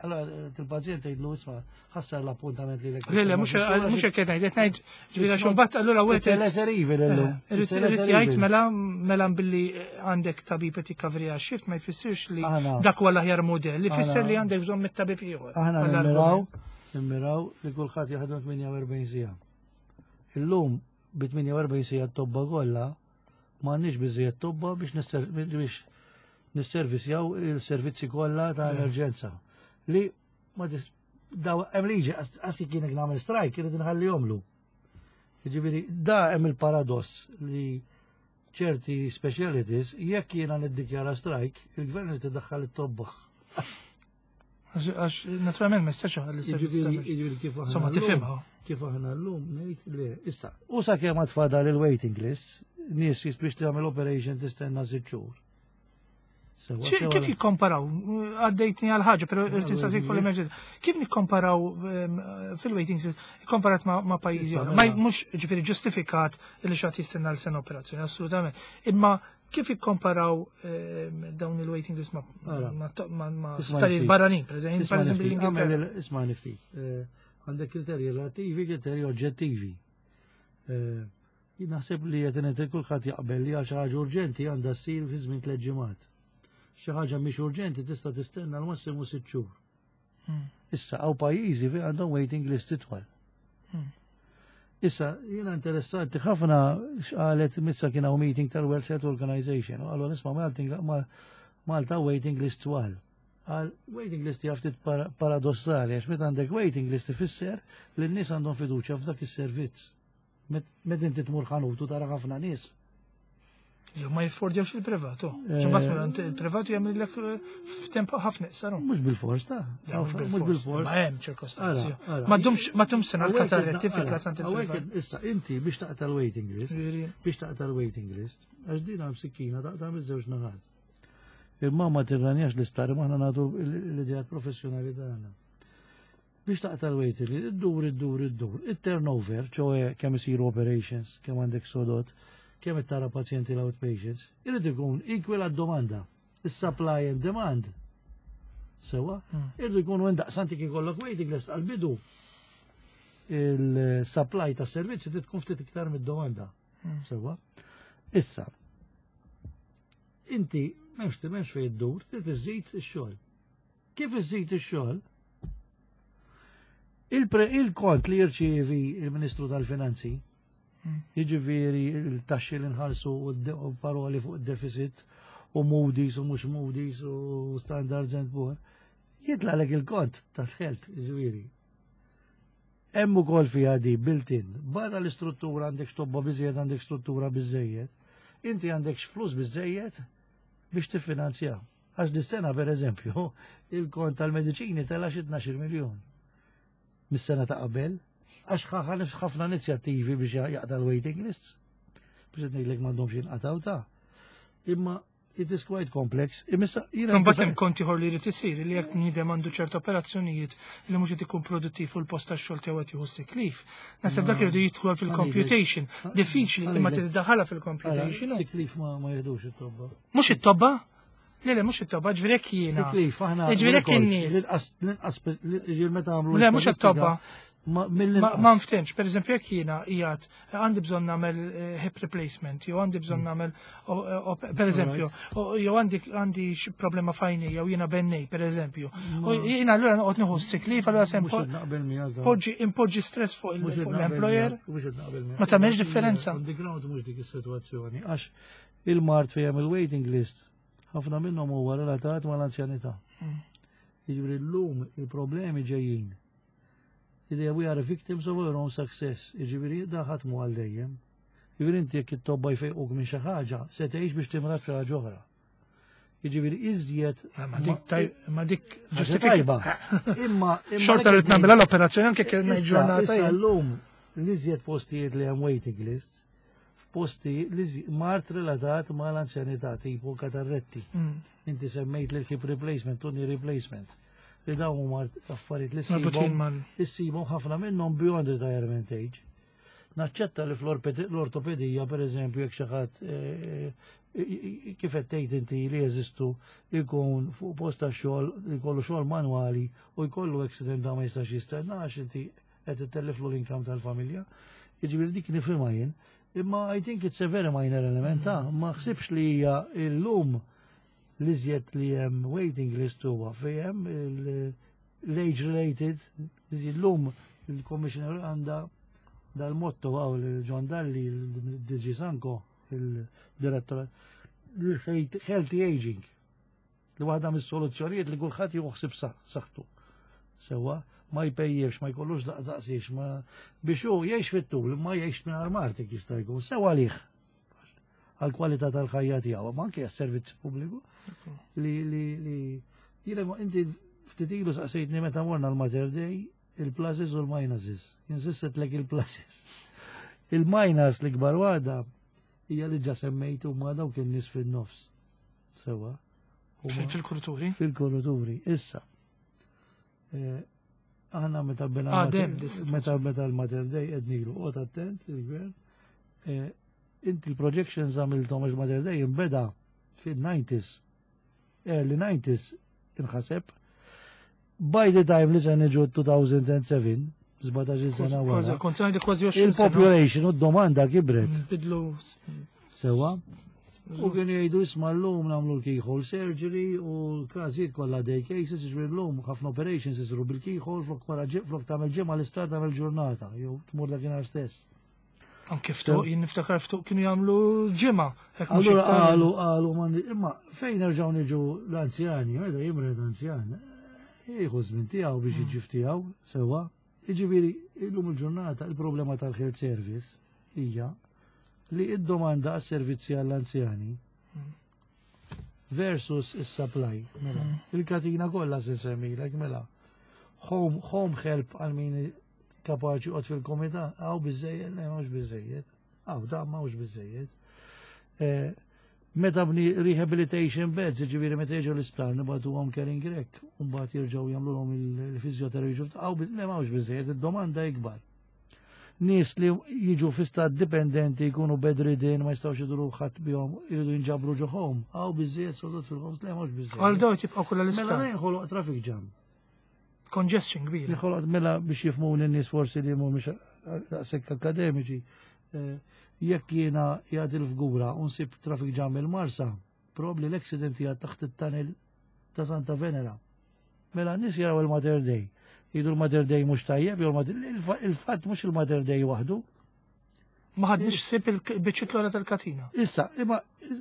allora il-pazjent jgħidlu, isma', ħassar l-appuntament li Le, le, mhux mhux hekk qed ngħid, qed ngħid ġifieri għax imbagħad allura It's a lesser evil illum. Irid irid jgħid mela mela billi għandek tabib qed jikkavrija shift ma jfissirx li Aħna- dak huwa l-aħjar modell, li jfisser Aħna- li għandek bżonn mit-tabib ieħor. Aħna Għall-argument. nimmiraw, nimmiraw li kulħadd jaħdem tmienja u erbgħin siegħa. Illum bi tmienja u erbgħin siegħa t-tobba kollha m'għandniex biżejjed tobba biex nisser- biex nisservisjaw il-servizzi kollha ta' emerġenza. Li ma tis daw hemm liġi qasi kienek nagħmel strike irid inħallihomlu. Jiġifieri da hemm il-paradoss li ċerti specialities jekk jiena niddikjara strike, il-gvern irid idaħħal it-tobba. Għax għax naturalment ma jistax iħalli servizz Jiġifieri ta' jiġifieri kif aħna Insomma llum- tifhimha. Kif aħna llum ngħid li issa u sakemm għad fadal il-waiting list, nies jist biex tagħmel operation tistenna sitt xhur. Sewa, Xi- sewa Kif la- jikkomparaw? Għaddejtni għal ħaġa, pero irrid insaqsik fuq waiting l-emerġenza. Kif nikkomparaw ehm, fil-waiting list, ikkomparat ma' ma' pajjiżi Issa, oħra? Ma mela. mhux ġifieri ġustifikat li xi ħadd jistenna l sena operazzjoni, assolutament. Imma kif ikkomparaw ehm, dawn il-waiting list ma' Ara. ma' ma' ma' Isma' sptarijiet ftit. barranin, per eżempju, Isma' per eżempju niftit, l-Ingilterra. għamel il- Isma' niftit. Eh, Għandek kriterji relattivi, kriterji oġġettivi. Eh, Jien naħseb li qed ngħid kulħadd jaqbel li għal xi ħaġa urġenti għandha ssir fi żmien tliet ġimgħat. Xi ħaġa mhix urġenti tista' tistenna l-massimu sitt xhur. Hmm. Issa hawn pajjiżi fejn għandhom waiting list itwal. Hmm. Issa, jiena interessanti ħafna x'qalet Mizzi, kien hawn meeting tal-World Health Organization u qalu, nisma', Malta ma- Malta waiting list twal. Għal waiting list hija ftit para- paradossali għax meta għandek waiting list ifisser li n-nies għandhom fiduċja f'dak is-servizz. Met met inti tmur ħanut u tara ħafna nies. Jew ma jiffordjawx il-privatu. Eh, Ġimgħat mela il-privatu jagħmel eh, f'temp ħafna iqsar. Mhux bil-fors ta' mhux bil-fors. Ma hemm ċirkostanzi. Ara, ara. Ma dumx ma dumx sena Hawnhekk l-kataretti qed- fil-każ għand hawnhekk il-privat. qed- Issa, inti biex taqta' l-waiting list, Ġifieri, biex taqta' l-waiting list, għax din hemm sikkina taqta' miż-żewġ naħat. Imma ma tirranjax l-isptar, imma aħna nagħtu l-idejat professjonali tagħna. Biex taqta' l-waiting list, iddur, iddur, iddur. Il-turnover, ċoè kemm isiru operations, kemm għandek sodod, kemm tara pazjenti l-outpatients, irid ikun equal għad-domanda. Is-supply and demand. Sewa, Hmm. irridu jkunu indaqsanti kif ikollok waiting list għal-bidu. Il-supply ta' servizzi trid tkun ftit iktar mid-domanda. Hmm. Sewa. Issa, inti m'hemmx m'hemmx fejn iddur, trid iżid ix-xogħol. Kif iżid ix-xogħol? Il-pre- Il-kont li jirċievi il-Ministru tal-Finanzi, Hmm. jiġifieri il-taxxi li nħallsu u d- u paroli fuq id-deficit u Moody's u mhux Moody's u Standards and Poor, jitlagħlek il-kont tas-health, jiġifieri. Hemm ukoll fiha di built-in. Barra l-istruttura għandek tobba biżejjed, għandek struttura biżejjed. Inti għandek flus biżejjed biex tiffinanzja. Għax dis-sena per eżempju, il-kont tal-mediċini tela xi tnax-il miljun. Mis-sena ta' qabel, għax ħa- ħafna inizjattivi biex jaqta' l-waiting lists. Biex qed ngħidlek m'għandhomx jinqataw ta' imma It is quite complex. Imissa jiena Imbagħad hemm kont ieħor li jrid isir li jekk bniedem għandu ċerta operazzjonijiet li mhux qed ikun produttiv fuq il-post tax-xogħol tiegħu qed jieħu sick leave. Naħseb dak irridu jidħol fil-computation. Diffiċli imma trid tiddaħħalha fil-computation. Sick leave ma ma jiħdux it-tobba. Mhux it-tobba? Le, le, mhux it-tobba, ġifieri jekk jiena. Sick leave, aħna. Ġifieri jekk in-nies. L-inqas, l-inqas, ġifieri meta għamlu. Le, mhux it-tobba. Ma Ma mill-inqas. ma nftemx, per eżempju, jekk jiena qiegħed għandi bżonn nagħmel eh, hip replacement, jew għandi bżonn nagħmel o- o- per eżempju, o- jew għandi għandi xi problema f'għajni, jew jiena bennej, per eżempju. U jiena allura noqgħod nieħu sick leave, allura se Mhux qed naqbel miegħek. impoġġi impoġġi stress fuq il- Mhux qed fuq naqbel l-employer. miegħek, mhux qed naqbel miegħek. Ma tagħmelx differenza. On the ground mhux dik is-sitwazzjoni għax il-mard fejn il-waiting list ħafna minnhom huwa relatat mal-anzjanità. Mm. Jiġifieri llum il-problemi ġejjin. Idea we are victims of our own success. Jiġifieri da ħadd mhu għal dejjem. Jiġifieri inti jekk it-tobba jfejquk minn xi ħaġa, se tgħix biex timrad xi ħaġa oħra. Jiġifieri iżjed Ma dik taj- ma dik ħaġa tajba. Imma imma Xorta rrid nagħmilha l-operazzjoni anke kien Issa, ġurnata. issa llum l-iżjed postijiet li hemm waiting list, f'posti li mard relatat ma l-anzjanità tipo katarretti. Mm. Inti semmejt li hip replacement, u knee replacement. Li dawn huma affarijiet li Marbutin ssibhom mal. issibhom ħafna minnhom beyond retirement age. Naċċetta li fl-ortopedija, per eżempju, jekk xi ħadd eh, eh, kif qed tgħid inti li jeżistu jkun fuq post ta' xogħol, jkollu xogħol manwali u jkollu accident da ma jistax jistenna għax inti qed ittelliflu l-income tal-familja. Jiġifieri dik nifhimha jien. Imma I think it's a very minor element, ta' ma ħsibx li hija illum l-iżjed li hemm waiting list huwa fejn hemm l-age related, illum il-commissioner għandha dal-motto għaw John Dalli, il-D G Sanko, il-direttor, healthy aging. Li waħda mis-soluzzjonijiet li kulħadd joħsib saħħtu. Sewa, ma jpejjefx, ma jkollux daqsix, ma biex hu jgħix fit-tul, ma jgħix minn armartik jista' jkun, sewa għalih għal-kwalità tal-ħajja tiegħu, ma anke għas-servizz pubbliku. Li li li jiena inti ftit ilu saqsejtni meta morna l-Mater Dei il-pluses u l-minuses. Insistet lek il-pluses. Il-minus li kbar waħda hija li ġa semmejtu ma dawk in-nies fin-nofs. Sewa. Fil-kurituri? Fil-kurituri, issa. Eh, aħna meta bena Ah, meta meta l-Mater Dei qed nilu, qgħod attent il-gvern. Eh, inti l-projections għamiltom għax Mater Dei imbeda fil-nineties, early nineties inħaseb. By the time li se niġu elfejn u seba', sbatax-il sena wara. Kont se ngħidlek kważi għoxrin sena. Il-population u d-domanda kibret. Bidlu. Sewa. U kienu jgħidu isma' llum nagħmlu l-keyhole surgery u l-każijiet kollha day cases, ġifieri llum ħafna operations isiru bil-keyhole flok wara flok tagħmel ġimgħa l-isptar tagħmel ġurnata jew tmur dakinhar stess. Anke ftuq, jien niftakar ftuq kienu jagħmlu ġimgħa. Hekk mhux Allura iktar. qalu qalu ma imma fejn nerġgħu niġu l-anzjani, meta jimred anzjan, jieħu żmien tiegħu biex jiġi tiegħu, sewa. Jiġifieri illum il-ġurnata il-problema tal-health service hija li id-domanda għas-servizzi għall-anzjani versus is-supply. Mela, il-katina kollha se nsemmilek, mela. Home, home help għal min kapaċi joqgħod fil-komunità, hawn biżejjed, le mhux biżejjed. Hawn da mhux biżejjed. Eh, Meta bni rehabilitation beds, ġifieri meta jiġu l-isptar nibagħtuhom caring rek, u mbagħad jerġgħu jagħmluhom il-fizjoterapija, hawn le mhux biżejjed, id-domanda ikbar. Nies li jiġu fi stat dipendenti jkunu bedridden, ma jistgħux iduru ħadd bihom, jridu jinġabru ġo home, hawn biżejjed sodod fil-homes, le mhux biżejjed. Għal daw tibqa' kollha Mela l-isptar. jinħoloq traffic jam. Congestion kbira. Jinħoloq mela biex jifhmu n-nies forsi li mhumiex daqshekk akademiċi. eh, Jekk jiena qiegħed il-Fgura u nsib traffic jam il-Marsa, probabli l-accident hija taħt it-tunnel ta' Santa Venera. Mela n-nies jaraw il-Mater Dei. Jgħidu l-Mater Dei mhux tajjeb, jew il-Mater- il-fa- il-fatt mhux il-Mater Dei waħdu. Ma ħadniex ħsieb il-biċċiet l tal-katina. Issa, imma,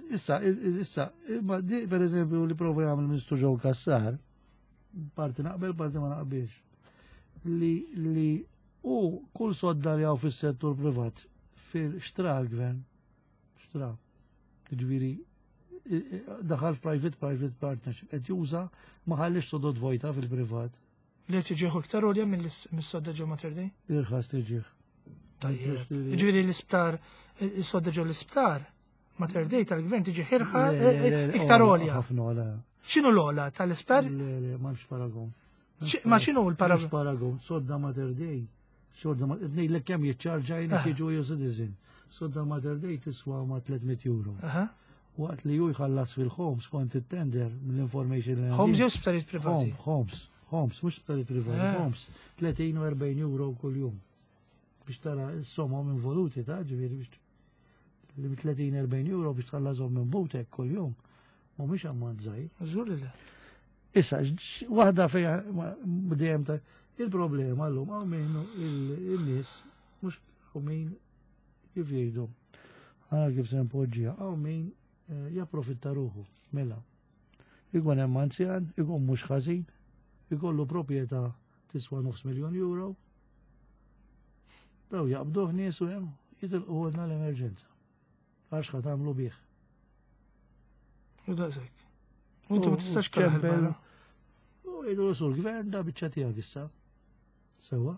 issa, issa, imma di per eżempju li prova jagħmel Ministru Joe Cassar, parti naqbel, parti ma naqbilx, li li u kull sodda li hawn fis-settur privat fil-xtra l-gvern, xtra, ġifieri, daħal private private partnership, qed juża ma ħallix sodod vojta fil-privat, Li tiġieħu iktar għolja mill-sodda ġo Mater Dei? Irħas tiġih. Tajjeb. Ġifieri l-isptar, is-sodda ġo l-isptar, Mater Dei tal-gvern tiġi ħirħa iktar għolja. Ħafna għola. X'inhu l-ogħla tal-isptar? Le, le, m'hemmx paragon. Ma x'inhu l-paragon? Paragon. Sodda Mater Dei. Sodda Mater Dei, l kemm jiċċarġa jien jiġu jew citizen. Sodda Mater Dei tiswa ma' tliet mitt euro. Waqt li ju jħallas fil-homes kont it-tender mill-information li Homes jew sptarijiet privati? Homes, homes, mhux sptarijiet privati, homes. tletin u erbgħin euro kull-jum. Biex tara s-somom involuti ta' ġifieri biex li tletin erbgħin euro biex tħallażhom minn butek kull-jum. Mhumiex ammont żgħir. Żgur li. Issa, waħda fejn dejjem ta' il-problema llum hawn min il-nies mhux hawn min kif jgħidu. Għara kif se npoġġiha, hawn min eh, japprofitta ruħu, mela. Ikun hemm anzjan, ikun mhux ħażin, ikollu proprjetà tiswa nofs miljon euro. Daw jaqbduh nies u hemm jitilqu għodna l-emerġenza. Għax ħa tagħmlu bih. U daqshekk. U inti ma tistax karaħ barra. U jgħidu sul gvern da biċċa tiegħek issa. Sewa.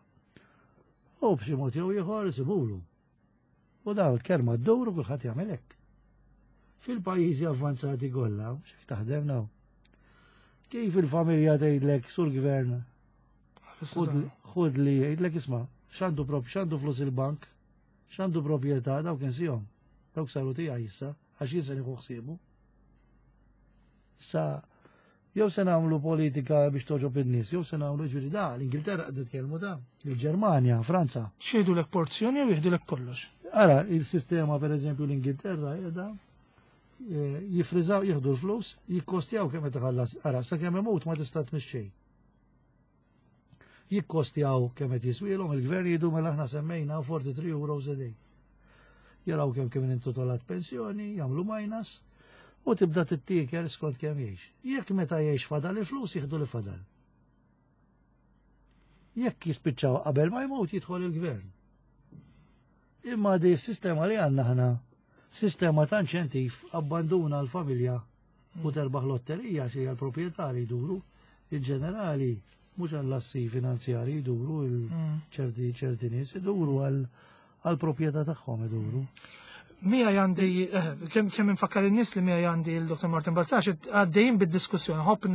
U b'xi mod jew ieħor isibulu. U daw il-kelma d-dowru kulħadd jagħmel hekk. Fil-pajjiżi avvanzati kollha, x'hekk taħdem naw. Kif il-familja tgħidlek sur gvern, xud li jgħidlek isma' x'għandu prop x'għandu flus il-bank, x'għandu proprjetà, dawk insihom. Dawk saru tiegħi issa, għax jien se nieħu ħsiebu. Sa jew se nagħmlu politika biex toġob in-nies, jew se nagħmlu ġifieri da, l-Ingilterra qed titkellmu da, il-Ġermanja, Franza. X'jgħidulek porzjoni jew jieħdulek kollox? Ara, il-sistema per eżempju l-Ingilterra qiegħda eh, jifriżaw, jieħdu l-flus, jikkostjaw kemm qed iħallas. Ara, sakemm imut ma tista' tmixxej. Jikkostjaw kemm qed jiswielhom il-gvern jgħidu mela aħna semmejna tlieta u erbgħin euros a day. Jaraw kemm kemm intitolat pensjoni, jagħmlu minus, u tibda tittiekel skont kemm jgħix. Jekk meta jgħix fadal il-flus jieħdu li fadal. Jekk jispiċċaw qabel ma jmut jidħol il-gvern. Imma di s-sistema li għandna ħna, sistema ta' inċentiv abbanduna l-familja u terbaħ lotterija xi għal-proprjetà li jduru, il-ġenerali mhux għall-assi finanzjari jduru il-ċerti ċerti nies, iduru għal-proprjetà tagħhom iduru. Mija għandi, eh, kemm kemm infakkar in-nies li mija għandi il-Dottor Martin Balzan, għaddejjin bid-diskussjoni, ħobb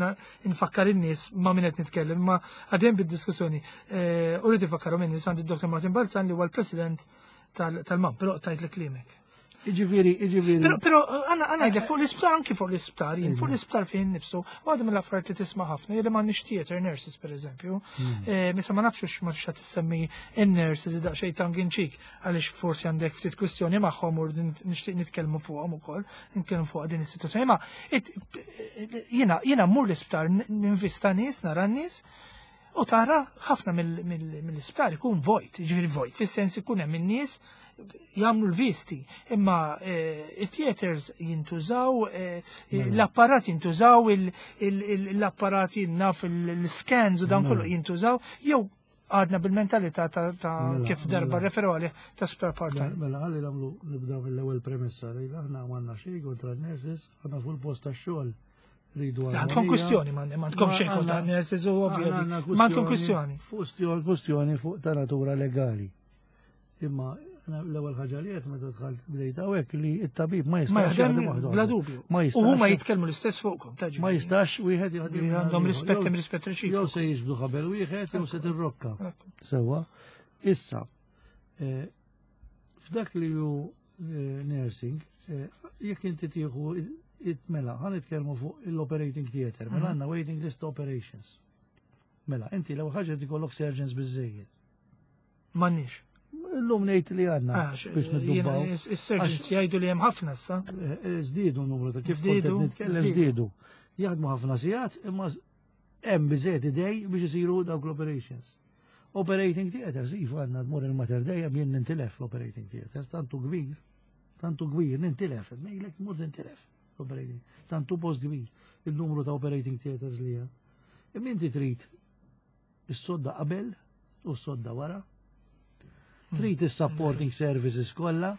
nfakkar in-nies ma' min qed nitkellem, ma għaddejjin bid-diskussjoni. Eh, u rrid infakkaru min nies għandi d-Dottor Martin Balzan li huwa l-President tal-MAM, però tajt li klimek. Iġifieri, iġifieri. Però, però, għana għana jgħidlek fuq l-isptar, anki fuq l-isptar, jien fuq l-isptar fejn nifsu, għadu mill-affarijiet li tisma' ħafna, jien ma nix theater nurses, per eżempju, Eh, Misa ma nafx ma xa tissemmi in-nurses daqsxejn tongue in cheek, għaliex forsi għandek ftit kwistjoni magħhom u nixtieq nitkellmu fuqhom ukoll, nitkellmu fuq din is-sitwazzjoni. Ma jiena jiena mmur l-isptar ninvista nies, nara n-nies, u tara ħafna mill-isptar ikun vojt, ġifieri vojt, fis-sens ikun hemm in-nies jagħmlu l-visti, imma it-theaters jintużaw, l-apparat jintużaw, l-apparat naf l-scans u dan kollu jintużaw, jew għadna bil-mentalità ta' kif darba referu għalih ta' spare part. Mela, ħalli nagħmlu nibda mill-ewwel premessa li aħna m'għandna xejn kontra n-nurses, aħna fuq il-post tax-xogħol rridu. Għandkom kwistjoni, ma għandkom xejn kontra n-nurses u ovvju. Ma għandkom kwistjoni. Kwistjoni fuq ta' natura legali. Imma l-ewwel ħaġa li qed meta dħalt bdejt hawnhekk li t-tabib ma jistax jaħdem bla dubju. U huma jitkellmu l-istess fuqkom, taġi. Ma jistax wieħed jaħdem. Għandhom rispett hemm rispett reċiproku. Jew se jiġbdu ħabel wieħed jew se tirrokka. Sewwa. Issa, f'dak li hu nursing, jekk inti tieħu mela, ħa nitkellmu fuq l-operating theater, mela għandna waiting list operations. Mela, inti l-ewwel ħaġa tikollok surgeons biżejjed. M'għandniex. Illum ngħid li għandna biex niddubbaw. Is-surgeons jgħidu li hemm ħafna issa. Żdiedu n-numru ta' kif kont nitkellem żdiedu. Jaħdmu ħafna sigħat imma hemm biżejjed idej biex isiru dawk l-operations. Operating theaters, iva għandna tmur il-Mater Dei jien nintilef l-operating theaters, tantu kbir, tantu kbir, nintilef, ngħidlek tmur tintilef l-operating, tantu post kbir, il-numru ta' operating theaters li hemm. Imma inti trid is-sodda qabel u s-sodda wara, trid is-supporting services kollha,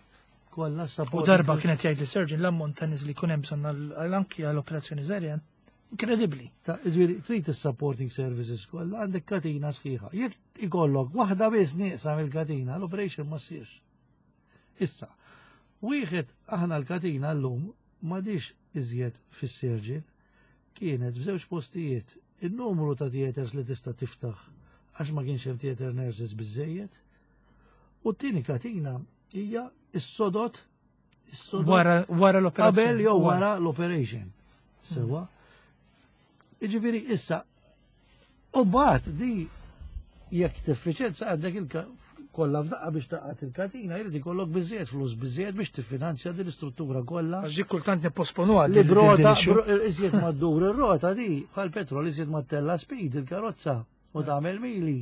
kollha U darba kienet jgħid li surgeon l-ammont ta' nies li jkun hemm bżonn għal anki għal operazzjoni żgħira inkredibbli. Ta' ġifieri trid is-supporting services kollha għandek katina sħiħa. Jekk ikollok waħda biss nieqsa mill-katina, l-operation ma ssirx. Issa, Wieħed, aħna l-katina llum m'għadix iżjed fis-surgeon, kienet f'żewġ postijiet. Il-numru ta' theaters li tista' tiftaħ għax ma kienx hemm theater nurses biżejjed. U t-tieni katina hija is-sodod is-sodod Wara wara l-operazzjoni. Qabel jew wara l-operation. Sewa. Iġifieri issa u mbagħad di jekk tiffiċenza għandek il kollha f'daqqa biex taqgħad il-katina, jrid ikollok biżejjed flus, biżejjed biex tiffinanzja din l-istruttura kollha. Għax dik kultant nipposponu għad. Li brota, iżjed ma ddur ir-rota di, bħal petrol, iżjed ma tella speed il-karozza u tagħmel mili,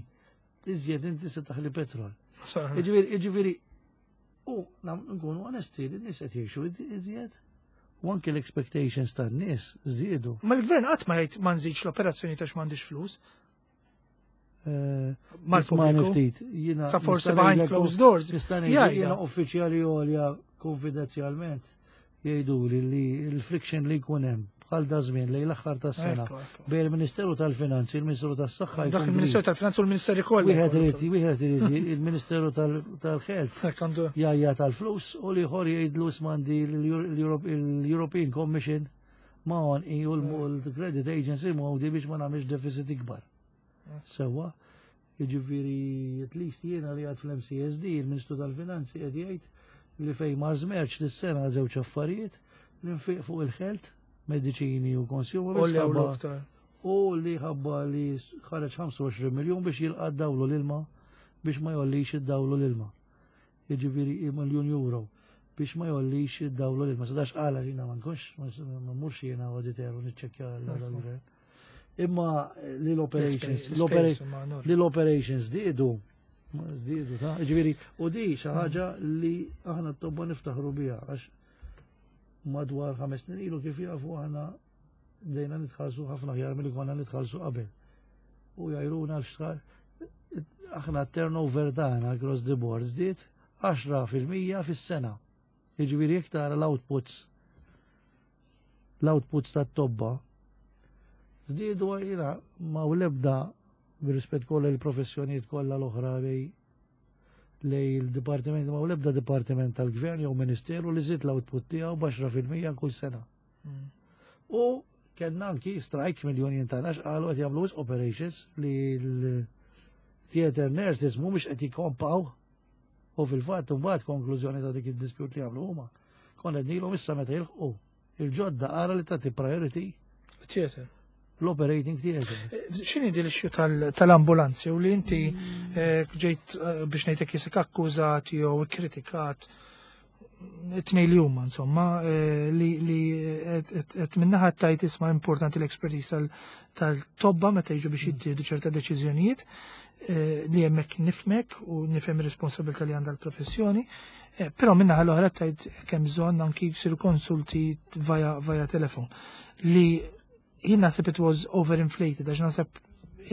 iżjed inti se taħli petrol. Iġifieri, iġifieri, u nkunu onesti li n-nies qed jgħixu iżjed u anke l-expectations tan-nies żdiedu. Ma l-gvern qatt ma jgħid ma nżidx l-operazzjoni ta' m'għandix flus. Eh, Mal-pubbliku. Ftit, jiena Sa forsi nista' behind ngħidlek- closed doors. Nista' ngħid Jgħidha. jiena uffiċjali għolja konfidenzjalment jgħidu li li l-friction li jkun hemm bħal da żmien lejn l-aħħar tas-sena Ekku, ekku. bejn il-Ministeru tal-Finanzi, il-Ministeru tas-Saħħa Dak jkun il-Ministeru kbir. tal-Finanzi u l-Ministeri kollha. Wieħed irid wieħed irid il-Ministeru tal- tal-Health Hekk għandu. jajja tal-flus u l-ieħor jgħidlu smandi l-European Commission ma on u l-Credit Agency ma biex ma nagħmilx deficit ikbar. Sewa, jiġifieri at least jiena li għad fl-M C S D, il-Ministru tal-Finanzi qed jgħid li fejn mar żmerċ lis-sena żewġ affarijiet, li nfiq fuq il-health, mediċini u consumables, U li ħabba- l-aktar. u li ħabba li ħareġ ħamsa u għoxrin miljon biex jilqa' dawlu l-ilma, biex ma jollix id-dawlu l-ilma. Jiġifieri miljun euro biex ma jollix id-dawlu l-ilma. Sadax qala jiena ma nkunx, ma mmurx jiena auditor u niċċekkja l-gvern. Imma li l-operations, li l-operations żdiedu, żdiedu, ta' ġifieri, u di xi ħaġa li aħna t-tobba niftaħru biha, għax madwar ħames snin ilu, kif jafu, aħna bdejna nitħallsu ħafna ħjar milli konna nitħallsu qabel. U jgħajruna l aħna turnover tagħna across the board żdied għaxra fil-mija fis-sena. Jiġifieri jekk tara l-outputs l-outputs tat-tobba żdiedu, jiena ma u lebda bir-rispett kollha il-professjonijiet kollha l-oħra lej lej il-dipartiment, ma u lebda dipartiment tal-gvern jew ministeru li żied l-output tiegħu b'għaxra fil-mija kull sena. U kellna anki strike mill-union tagħna x'qalu qed jagħmlu wisq operations, li l-theater nurses mhumiex qed jikkompaw, u fil-fatt mbagħad konklużjoni ta' dik id-dispute li għamlu huma. Konna qednilhom issa meta jilħqu il-ġodda ara li tagħti priority Theater. l-operating theater. X'inhi din l-issue tal-ambulanzi u li inti eh, ġejt eh, biex ngħidlek jisek akkużat jew kritikat, it-tnejn li huma insomma, eh, li li qed minnaħa tajt isma' importanti l-expertise tal-tobba meta jiġu biex jittieħdu ċerta deċiżjonijiet, li hemmhekk nifhmek u nifhem ir-responsabilità li għandha l-professjoni, però minnaħa l-oħra tajt kemm bżonn anki jsiru konsulti via via telefon, li jien naħseb it was overinflated, għax naħseb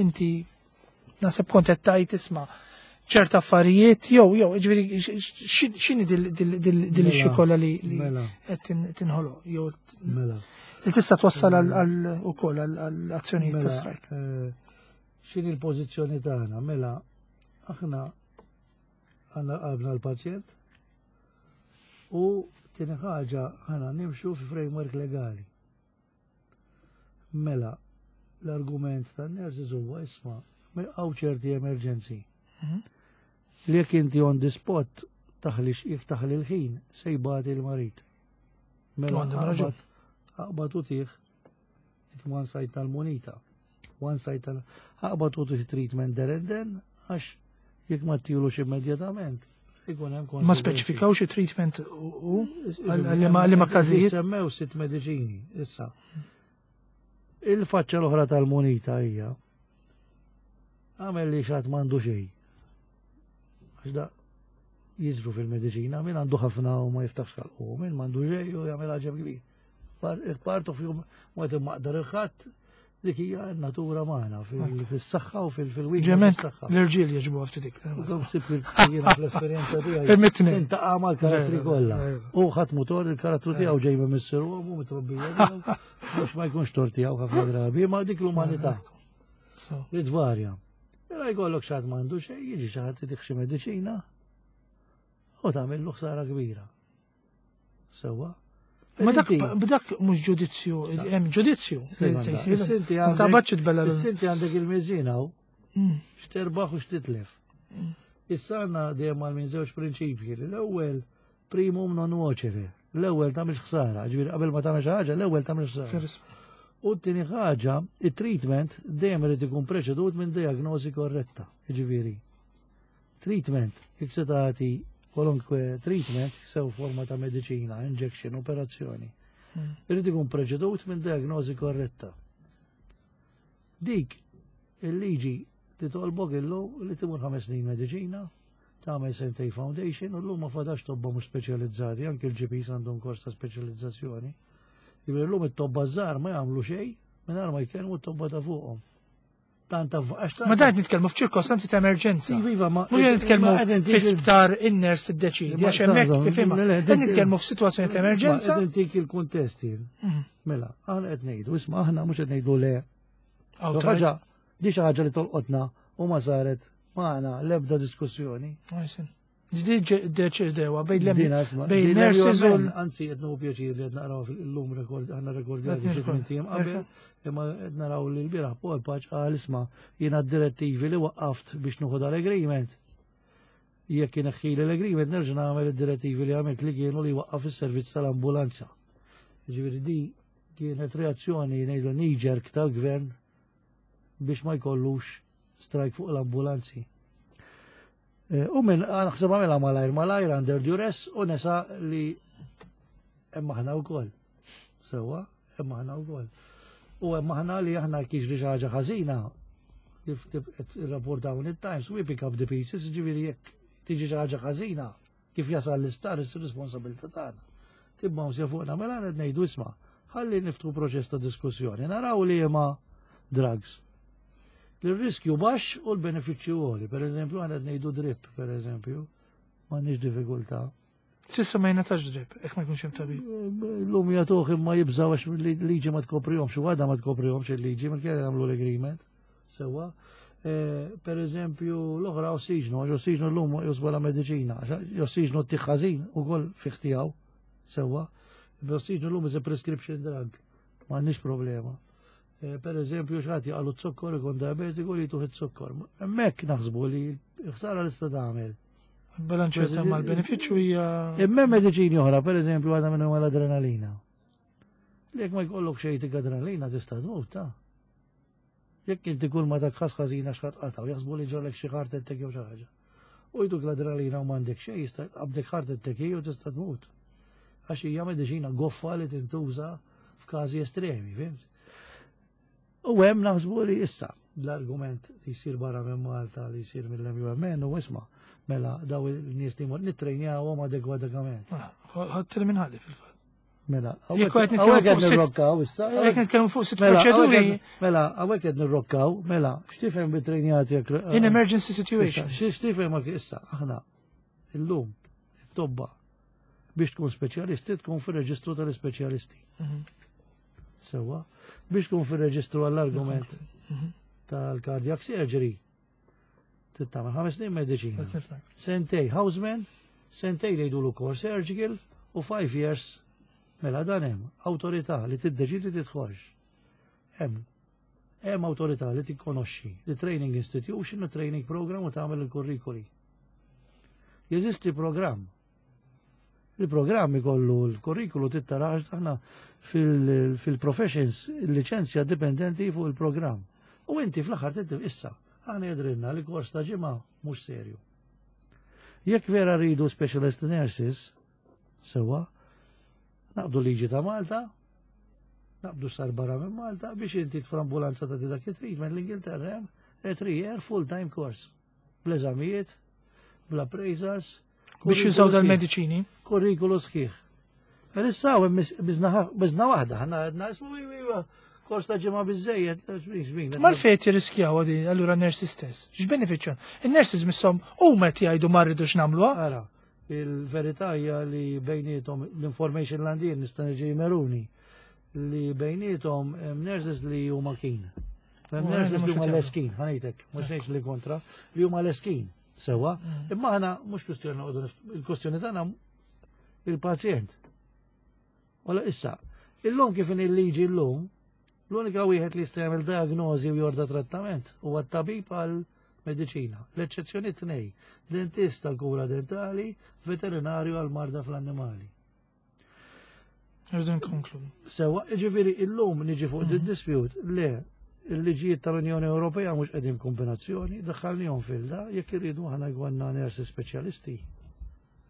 inti naħseb kont qed tajt isma' ċerta affarijiet jew jew ġifieri x'inhi dil issue kollha li Mela. qed tinħoloq jew Mela. li tista' twassal għal ukoll għal azzjonijiet ta' Mela, strike? eh, x'inhi l-pożizzjoni tagħna? Mela, aħna għandna qalbna l-pazjent u tieni ħaġa aħna nimxu fi framework legali. Mela, l-argument tan-nurses huwa isma' hawn ċerti emerġenzi. Mhm. Li jekk inti on the spot taħli, jekk taħli l-ħin se jbati l-marid. Mela Għandhom raġun. aqbad u tih dik one side tal-munita. One side tal aqbad u tih treatment there and then, għax jekk ma ttilux immedjatament ikun hemm Ma konsekwenzi. speċifikawx treatment u għal li ma każijiet? Semmew sitt mediċini, issa. Il-faċċa l-oħra tal-munita hija għamel li xat m'għandu xejn. Għax da jiġru fil-mediċina, min għandu ħafna u ma jiftaħx ħalqu, min m'għandu xejn u jagħmel ħaġa kbir. Part of jum ma maqdar il-ħadd, dik hija natura magħna fis-saħħa u fil-wieħed. Ġement l-irġiel jogħġbu ftit iktar. Jiena fl-esperjenza tiegħi. Permettini. Intaqa' mal-karattri kollha. U ħadd mutor il-karattru tiegħu ġej minn missieru u mitrobbija tiegħu, mhux ma jkunx tort tiegħu ħafna drabi, ma dik l-umanità li tvarja. Mela jkollok xi ħadd m'għandu xejn, jiġi xi ħadd itik xi mediċina u tagħmillu ħsara kbira. Sewwa. Ma dak dak mhux ġudizzju, hemm ġudizzju li se jsir. Is-sinti Ma taqbadx tbella l- Is-sinti għandek il-miżin hawn, Mm. x'terbaħ u x'titlef. Issa għandna dejjem għal minn żewġ prinċipji. L-ewwel primum non nocere. L-ewwel tagħmilx ħsara, ġifieri qabel ma tagħmel xi ħaġa, l-ewwel tagħmel ħsara. U t-tieni ħaġa, it-treatment dejjem irid ikun preċedut minn diagnosi korretta. Ġifieri. Treatment, jekk se tagħti kwalunkwe treatment, sew forma ta' mediċina, injection, operazzjoni, Mm. irid ikun preċedut minn diagnosi korretta. Dik il-liġi titolbok illum li timur ħames snin mediċina, tagħmel sentej foundation u llum ma fadax tobba mhux speċjalizzati, anke l-G Ps għandhom kors ta' speċjalizzazzjoni. Jiġifieri llum it-tobba żgħar ma jagħmlu xejn mingħajr ma jkellmu t-tobba ta' fuqhom. Tant għax Ma dan qed nitkellmu f'ċirkostanzi ta' emerġenza. Iva, iva, ma Mhux qed nitkellmu ma qegħdin fi tik- sptar in-nurse tiddeċidi, Ma għax hemmhekk żomm, tifhimha. le, le, Qed nitkellmu f'sitwazzjoni ta' emerġenza. Qegħdin tik il-kuntesti. Mm. Mela, aħna qed ngħidu, isma', aħna mhux qed ngħidu le. Awtorizz- Ħaġa, di xi ħaġa li tolqotna u ma saret magħna l-ebda diskussjoni. Għajsin. Di deċidewa bejn l Dina, isma' bejn din nurses u l-U M N, anzi, qed nieħu pjaċir li qed naqraw fil-lum rekord, aħna rekordjati Qed xi tmien ijiem qabel, imma qed naraw li l-bieraħ Paul Pace qal, "Isma', jiena d-direttivi li waqqaft biex nieħu dal-agreement. Jekk ineħħili l-agreement nerġa' nagħmel id-direttivi li għamilt li kienu li waqqaf is-servizz tal-ambulanza." Ġifieri di kienet reazzjoni, ngħidu, knee-jerk tal-gvern biex ma jkollux strike fuq l-ambulanzi. Eh, U minn naħseb għamilha malajr malajr under duress u nesa li hemm aħna wkoll. Sewwa, hemm aħna wkoll. U hemm aħna li aħna kiġri xi ħaġa ħażina kif irrapportaw it-Times, we pick up the pieces, ġifieri jekk tiġi xi ħaġa ħażina kif jasal l-isptar, is-responsabilità tagħna. Tibma msija fuqna. Mela qed ngħidu, isma', ħalli niftħu proċess ta' diskussjoni, naraw li ma drugs l-riskju baxx u l-benefiċċju għoli. Per eżempju, għandna ngħidu drip, per eżempju, m'għandniex diffikultà. S'issa ma jingħatax drip, jekk ma jkunx hemm tabib. L-lum jagħtuh imma jibżaw għax liġi ma tkoprihomx, u għadha ma tkoprihomx il-liġi, ma kien jagħmlu l-agreement. Sewwa. Eh, Per eżempju, l-oħra ossiġnu, għax ossiġnu l-lum josbola mediċina, għax ossiġnu t-tiħħażin u kol fiħtijaw, sewwa. Ossiġnu l-lum is a prescription drug, m'għandniex problema. Eh, Per eżempju, xi ħadd jaqagħlu z-zokkor, ikun diabetiku, li tuh iz-zokkor. Hemmhekk naħsbu li ħsara l-ista tagħmel. Bilanċjata mal-benefiċċju hija. Imma mediċini oħra, per eżempju, għadha minnhom l-adrenalina. Li jekk ma jkollok xejn tik adrenalina tista' tmut, ta' jekk inti kull ma dak ħażina x'ħadd qataw, jaħsbu li ġarlek xi heart attack jew xi ħaġa. U jtuk l-adrenalina u m'għandek xejn, jista' qabdek heart attack u tista' tmut. Għax hija mediċina goffa li tintuża f'każi estremi, fhimt? U hemm naħsbu li issa l-argument li jsir barra minn Malta, li jsir mill-M U M N u isma', mela daw il-nies li nittrejnjawhom adegwatament. Ħadd minn ħalli fil-fatt. Mela, Jekk qed nitkellmu hawnhekk qed fuq sitt- nirrokkaw issa. Jekk nitkellmu fuq sitt Mela, proċeduri mela, hawnhekk qed nirrokkaw, mela, x'tifhem bit-trejnjati jekk in emergency situations. X'tifhem ma issa aħna illum it-tobba biex tkun speċjalisti tkun fir-reġistru tal-ispeċjalisti. Mhm. Sewwa, biex tkun fir-reġistru għall-argument Mhm. tal-cardiac surgery tagħmel ħames snin mediċina. Qed nifhem. Sentej houseman, sentej li jgħidulu core surgical u five years. Mela dan hemm awtorità li tiddeċidi tidħolx. Hemm hemm awtorità li tikkonoxxi li training institution u training program u tagħmel il-kurrikuli. Jeżisti programm. Il-programm ikollu l-kurrikulu tittarax aħna fil-professions il-liċenzja dipendenti fuq il-programm. U inti fl-aħħar tittif issa, aħna jidhrilna li kors ta' ġimgħa mhux serju. Jekk vera rridu specialist nurses, sewwa, naqbdu liġi ta' Malta, naqbdu sar barra minn Malta biex inti fl-ambulanza ta' dak it-treatment, l-Ingilterra hemm a three year full-time course. Bl-eżamijiet, bl-appraisals. Biex jużaw dal-mediċini. Kurrikulu sħiħ. Issa bizna waħda, ħana għedna, ismu, iva, kors ta' ġimgħa biżżejjed. Ma l-fejt jirriskjaw għadi, allura nurses stess. X'benefiċċju? In-nurses misshom huma qed jgħidu ma rridux nagħmluha. Ara, il-verità hija li bejnietom l-information l-għandin nista' niġi meruni li bejnietom hemm nurses li huma keen. Hemm U nurses mhux li huma qed leskin, ħa ngħidlek, mhux ngħid li kontra, li huma leskin, sewwa, Mm. imma aħna mhux kwistjoni noqogħdu nif- il-kwistjoni tagħna il-pazjent. Wala issa, illum kif in il-liġi llum, l-unika wieħed li jista' jagħmel diagnosi u jorda trattament huwa t-tabib għal mediċina. L-eċċezzjoni tnej, dentist għal kura dentali, veterinarju għal marda fl-annimali. Rridu nkonkludu. Sewa, ġifieri illum niġi fuq mm dispute, le, il-liġijiet tal-Unjoni Ewropea mhux qegħdin kombinazzjoni, daħħalnihom fil-da, jekk irridu aħna jkollna nurse speċjalisti.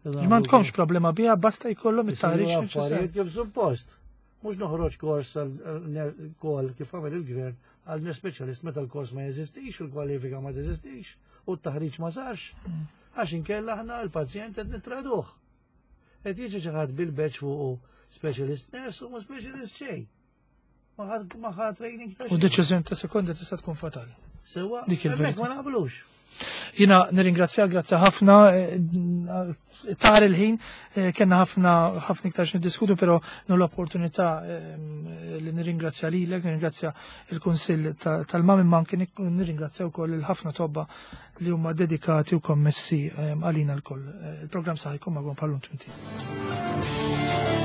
Ma għandkomx problema biha, basta jkollhom it-taħriġ neċessarju. Kif suppost. Mhux noħroġ kors għal kif għamel il-gvern għal nurse specialist meta l-kors ma jeżistix, u l-kwalifika ma teżistix, u t-taħriġ ma sarx. Mm. Għax inkella aħna l-pazjent qed nitraduh. Qed jiġi xi ħadd bil-badge fuq specialist nurse u ma specialist xejn. Ma ħa training ta' U deċiżjoni ta' sekonda tista' tkun fatali. Sewa, dik il-verità. Ma naqblux. Jina nirringrazzja, grazzi ħafna, eh, tar il-ħin, eh, kena ħafna ħafna iktar niddiskutu, pero nu l-opportunità eh, li nirringrazzja lilek, nirringrazzja il-Kunsill tal-MAM, imma anke nirringrazzja wkoll il-ħafna tobba li huma dedikati u kommessi għalina l-koll. Il-programm saħħa jkun magħhom bħallum tminti.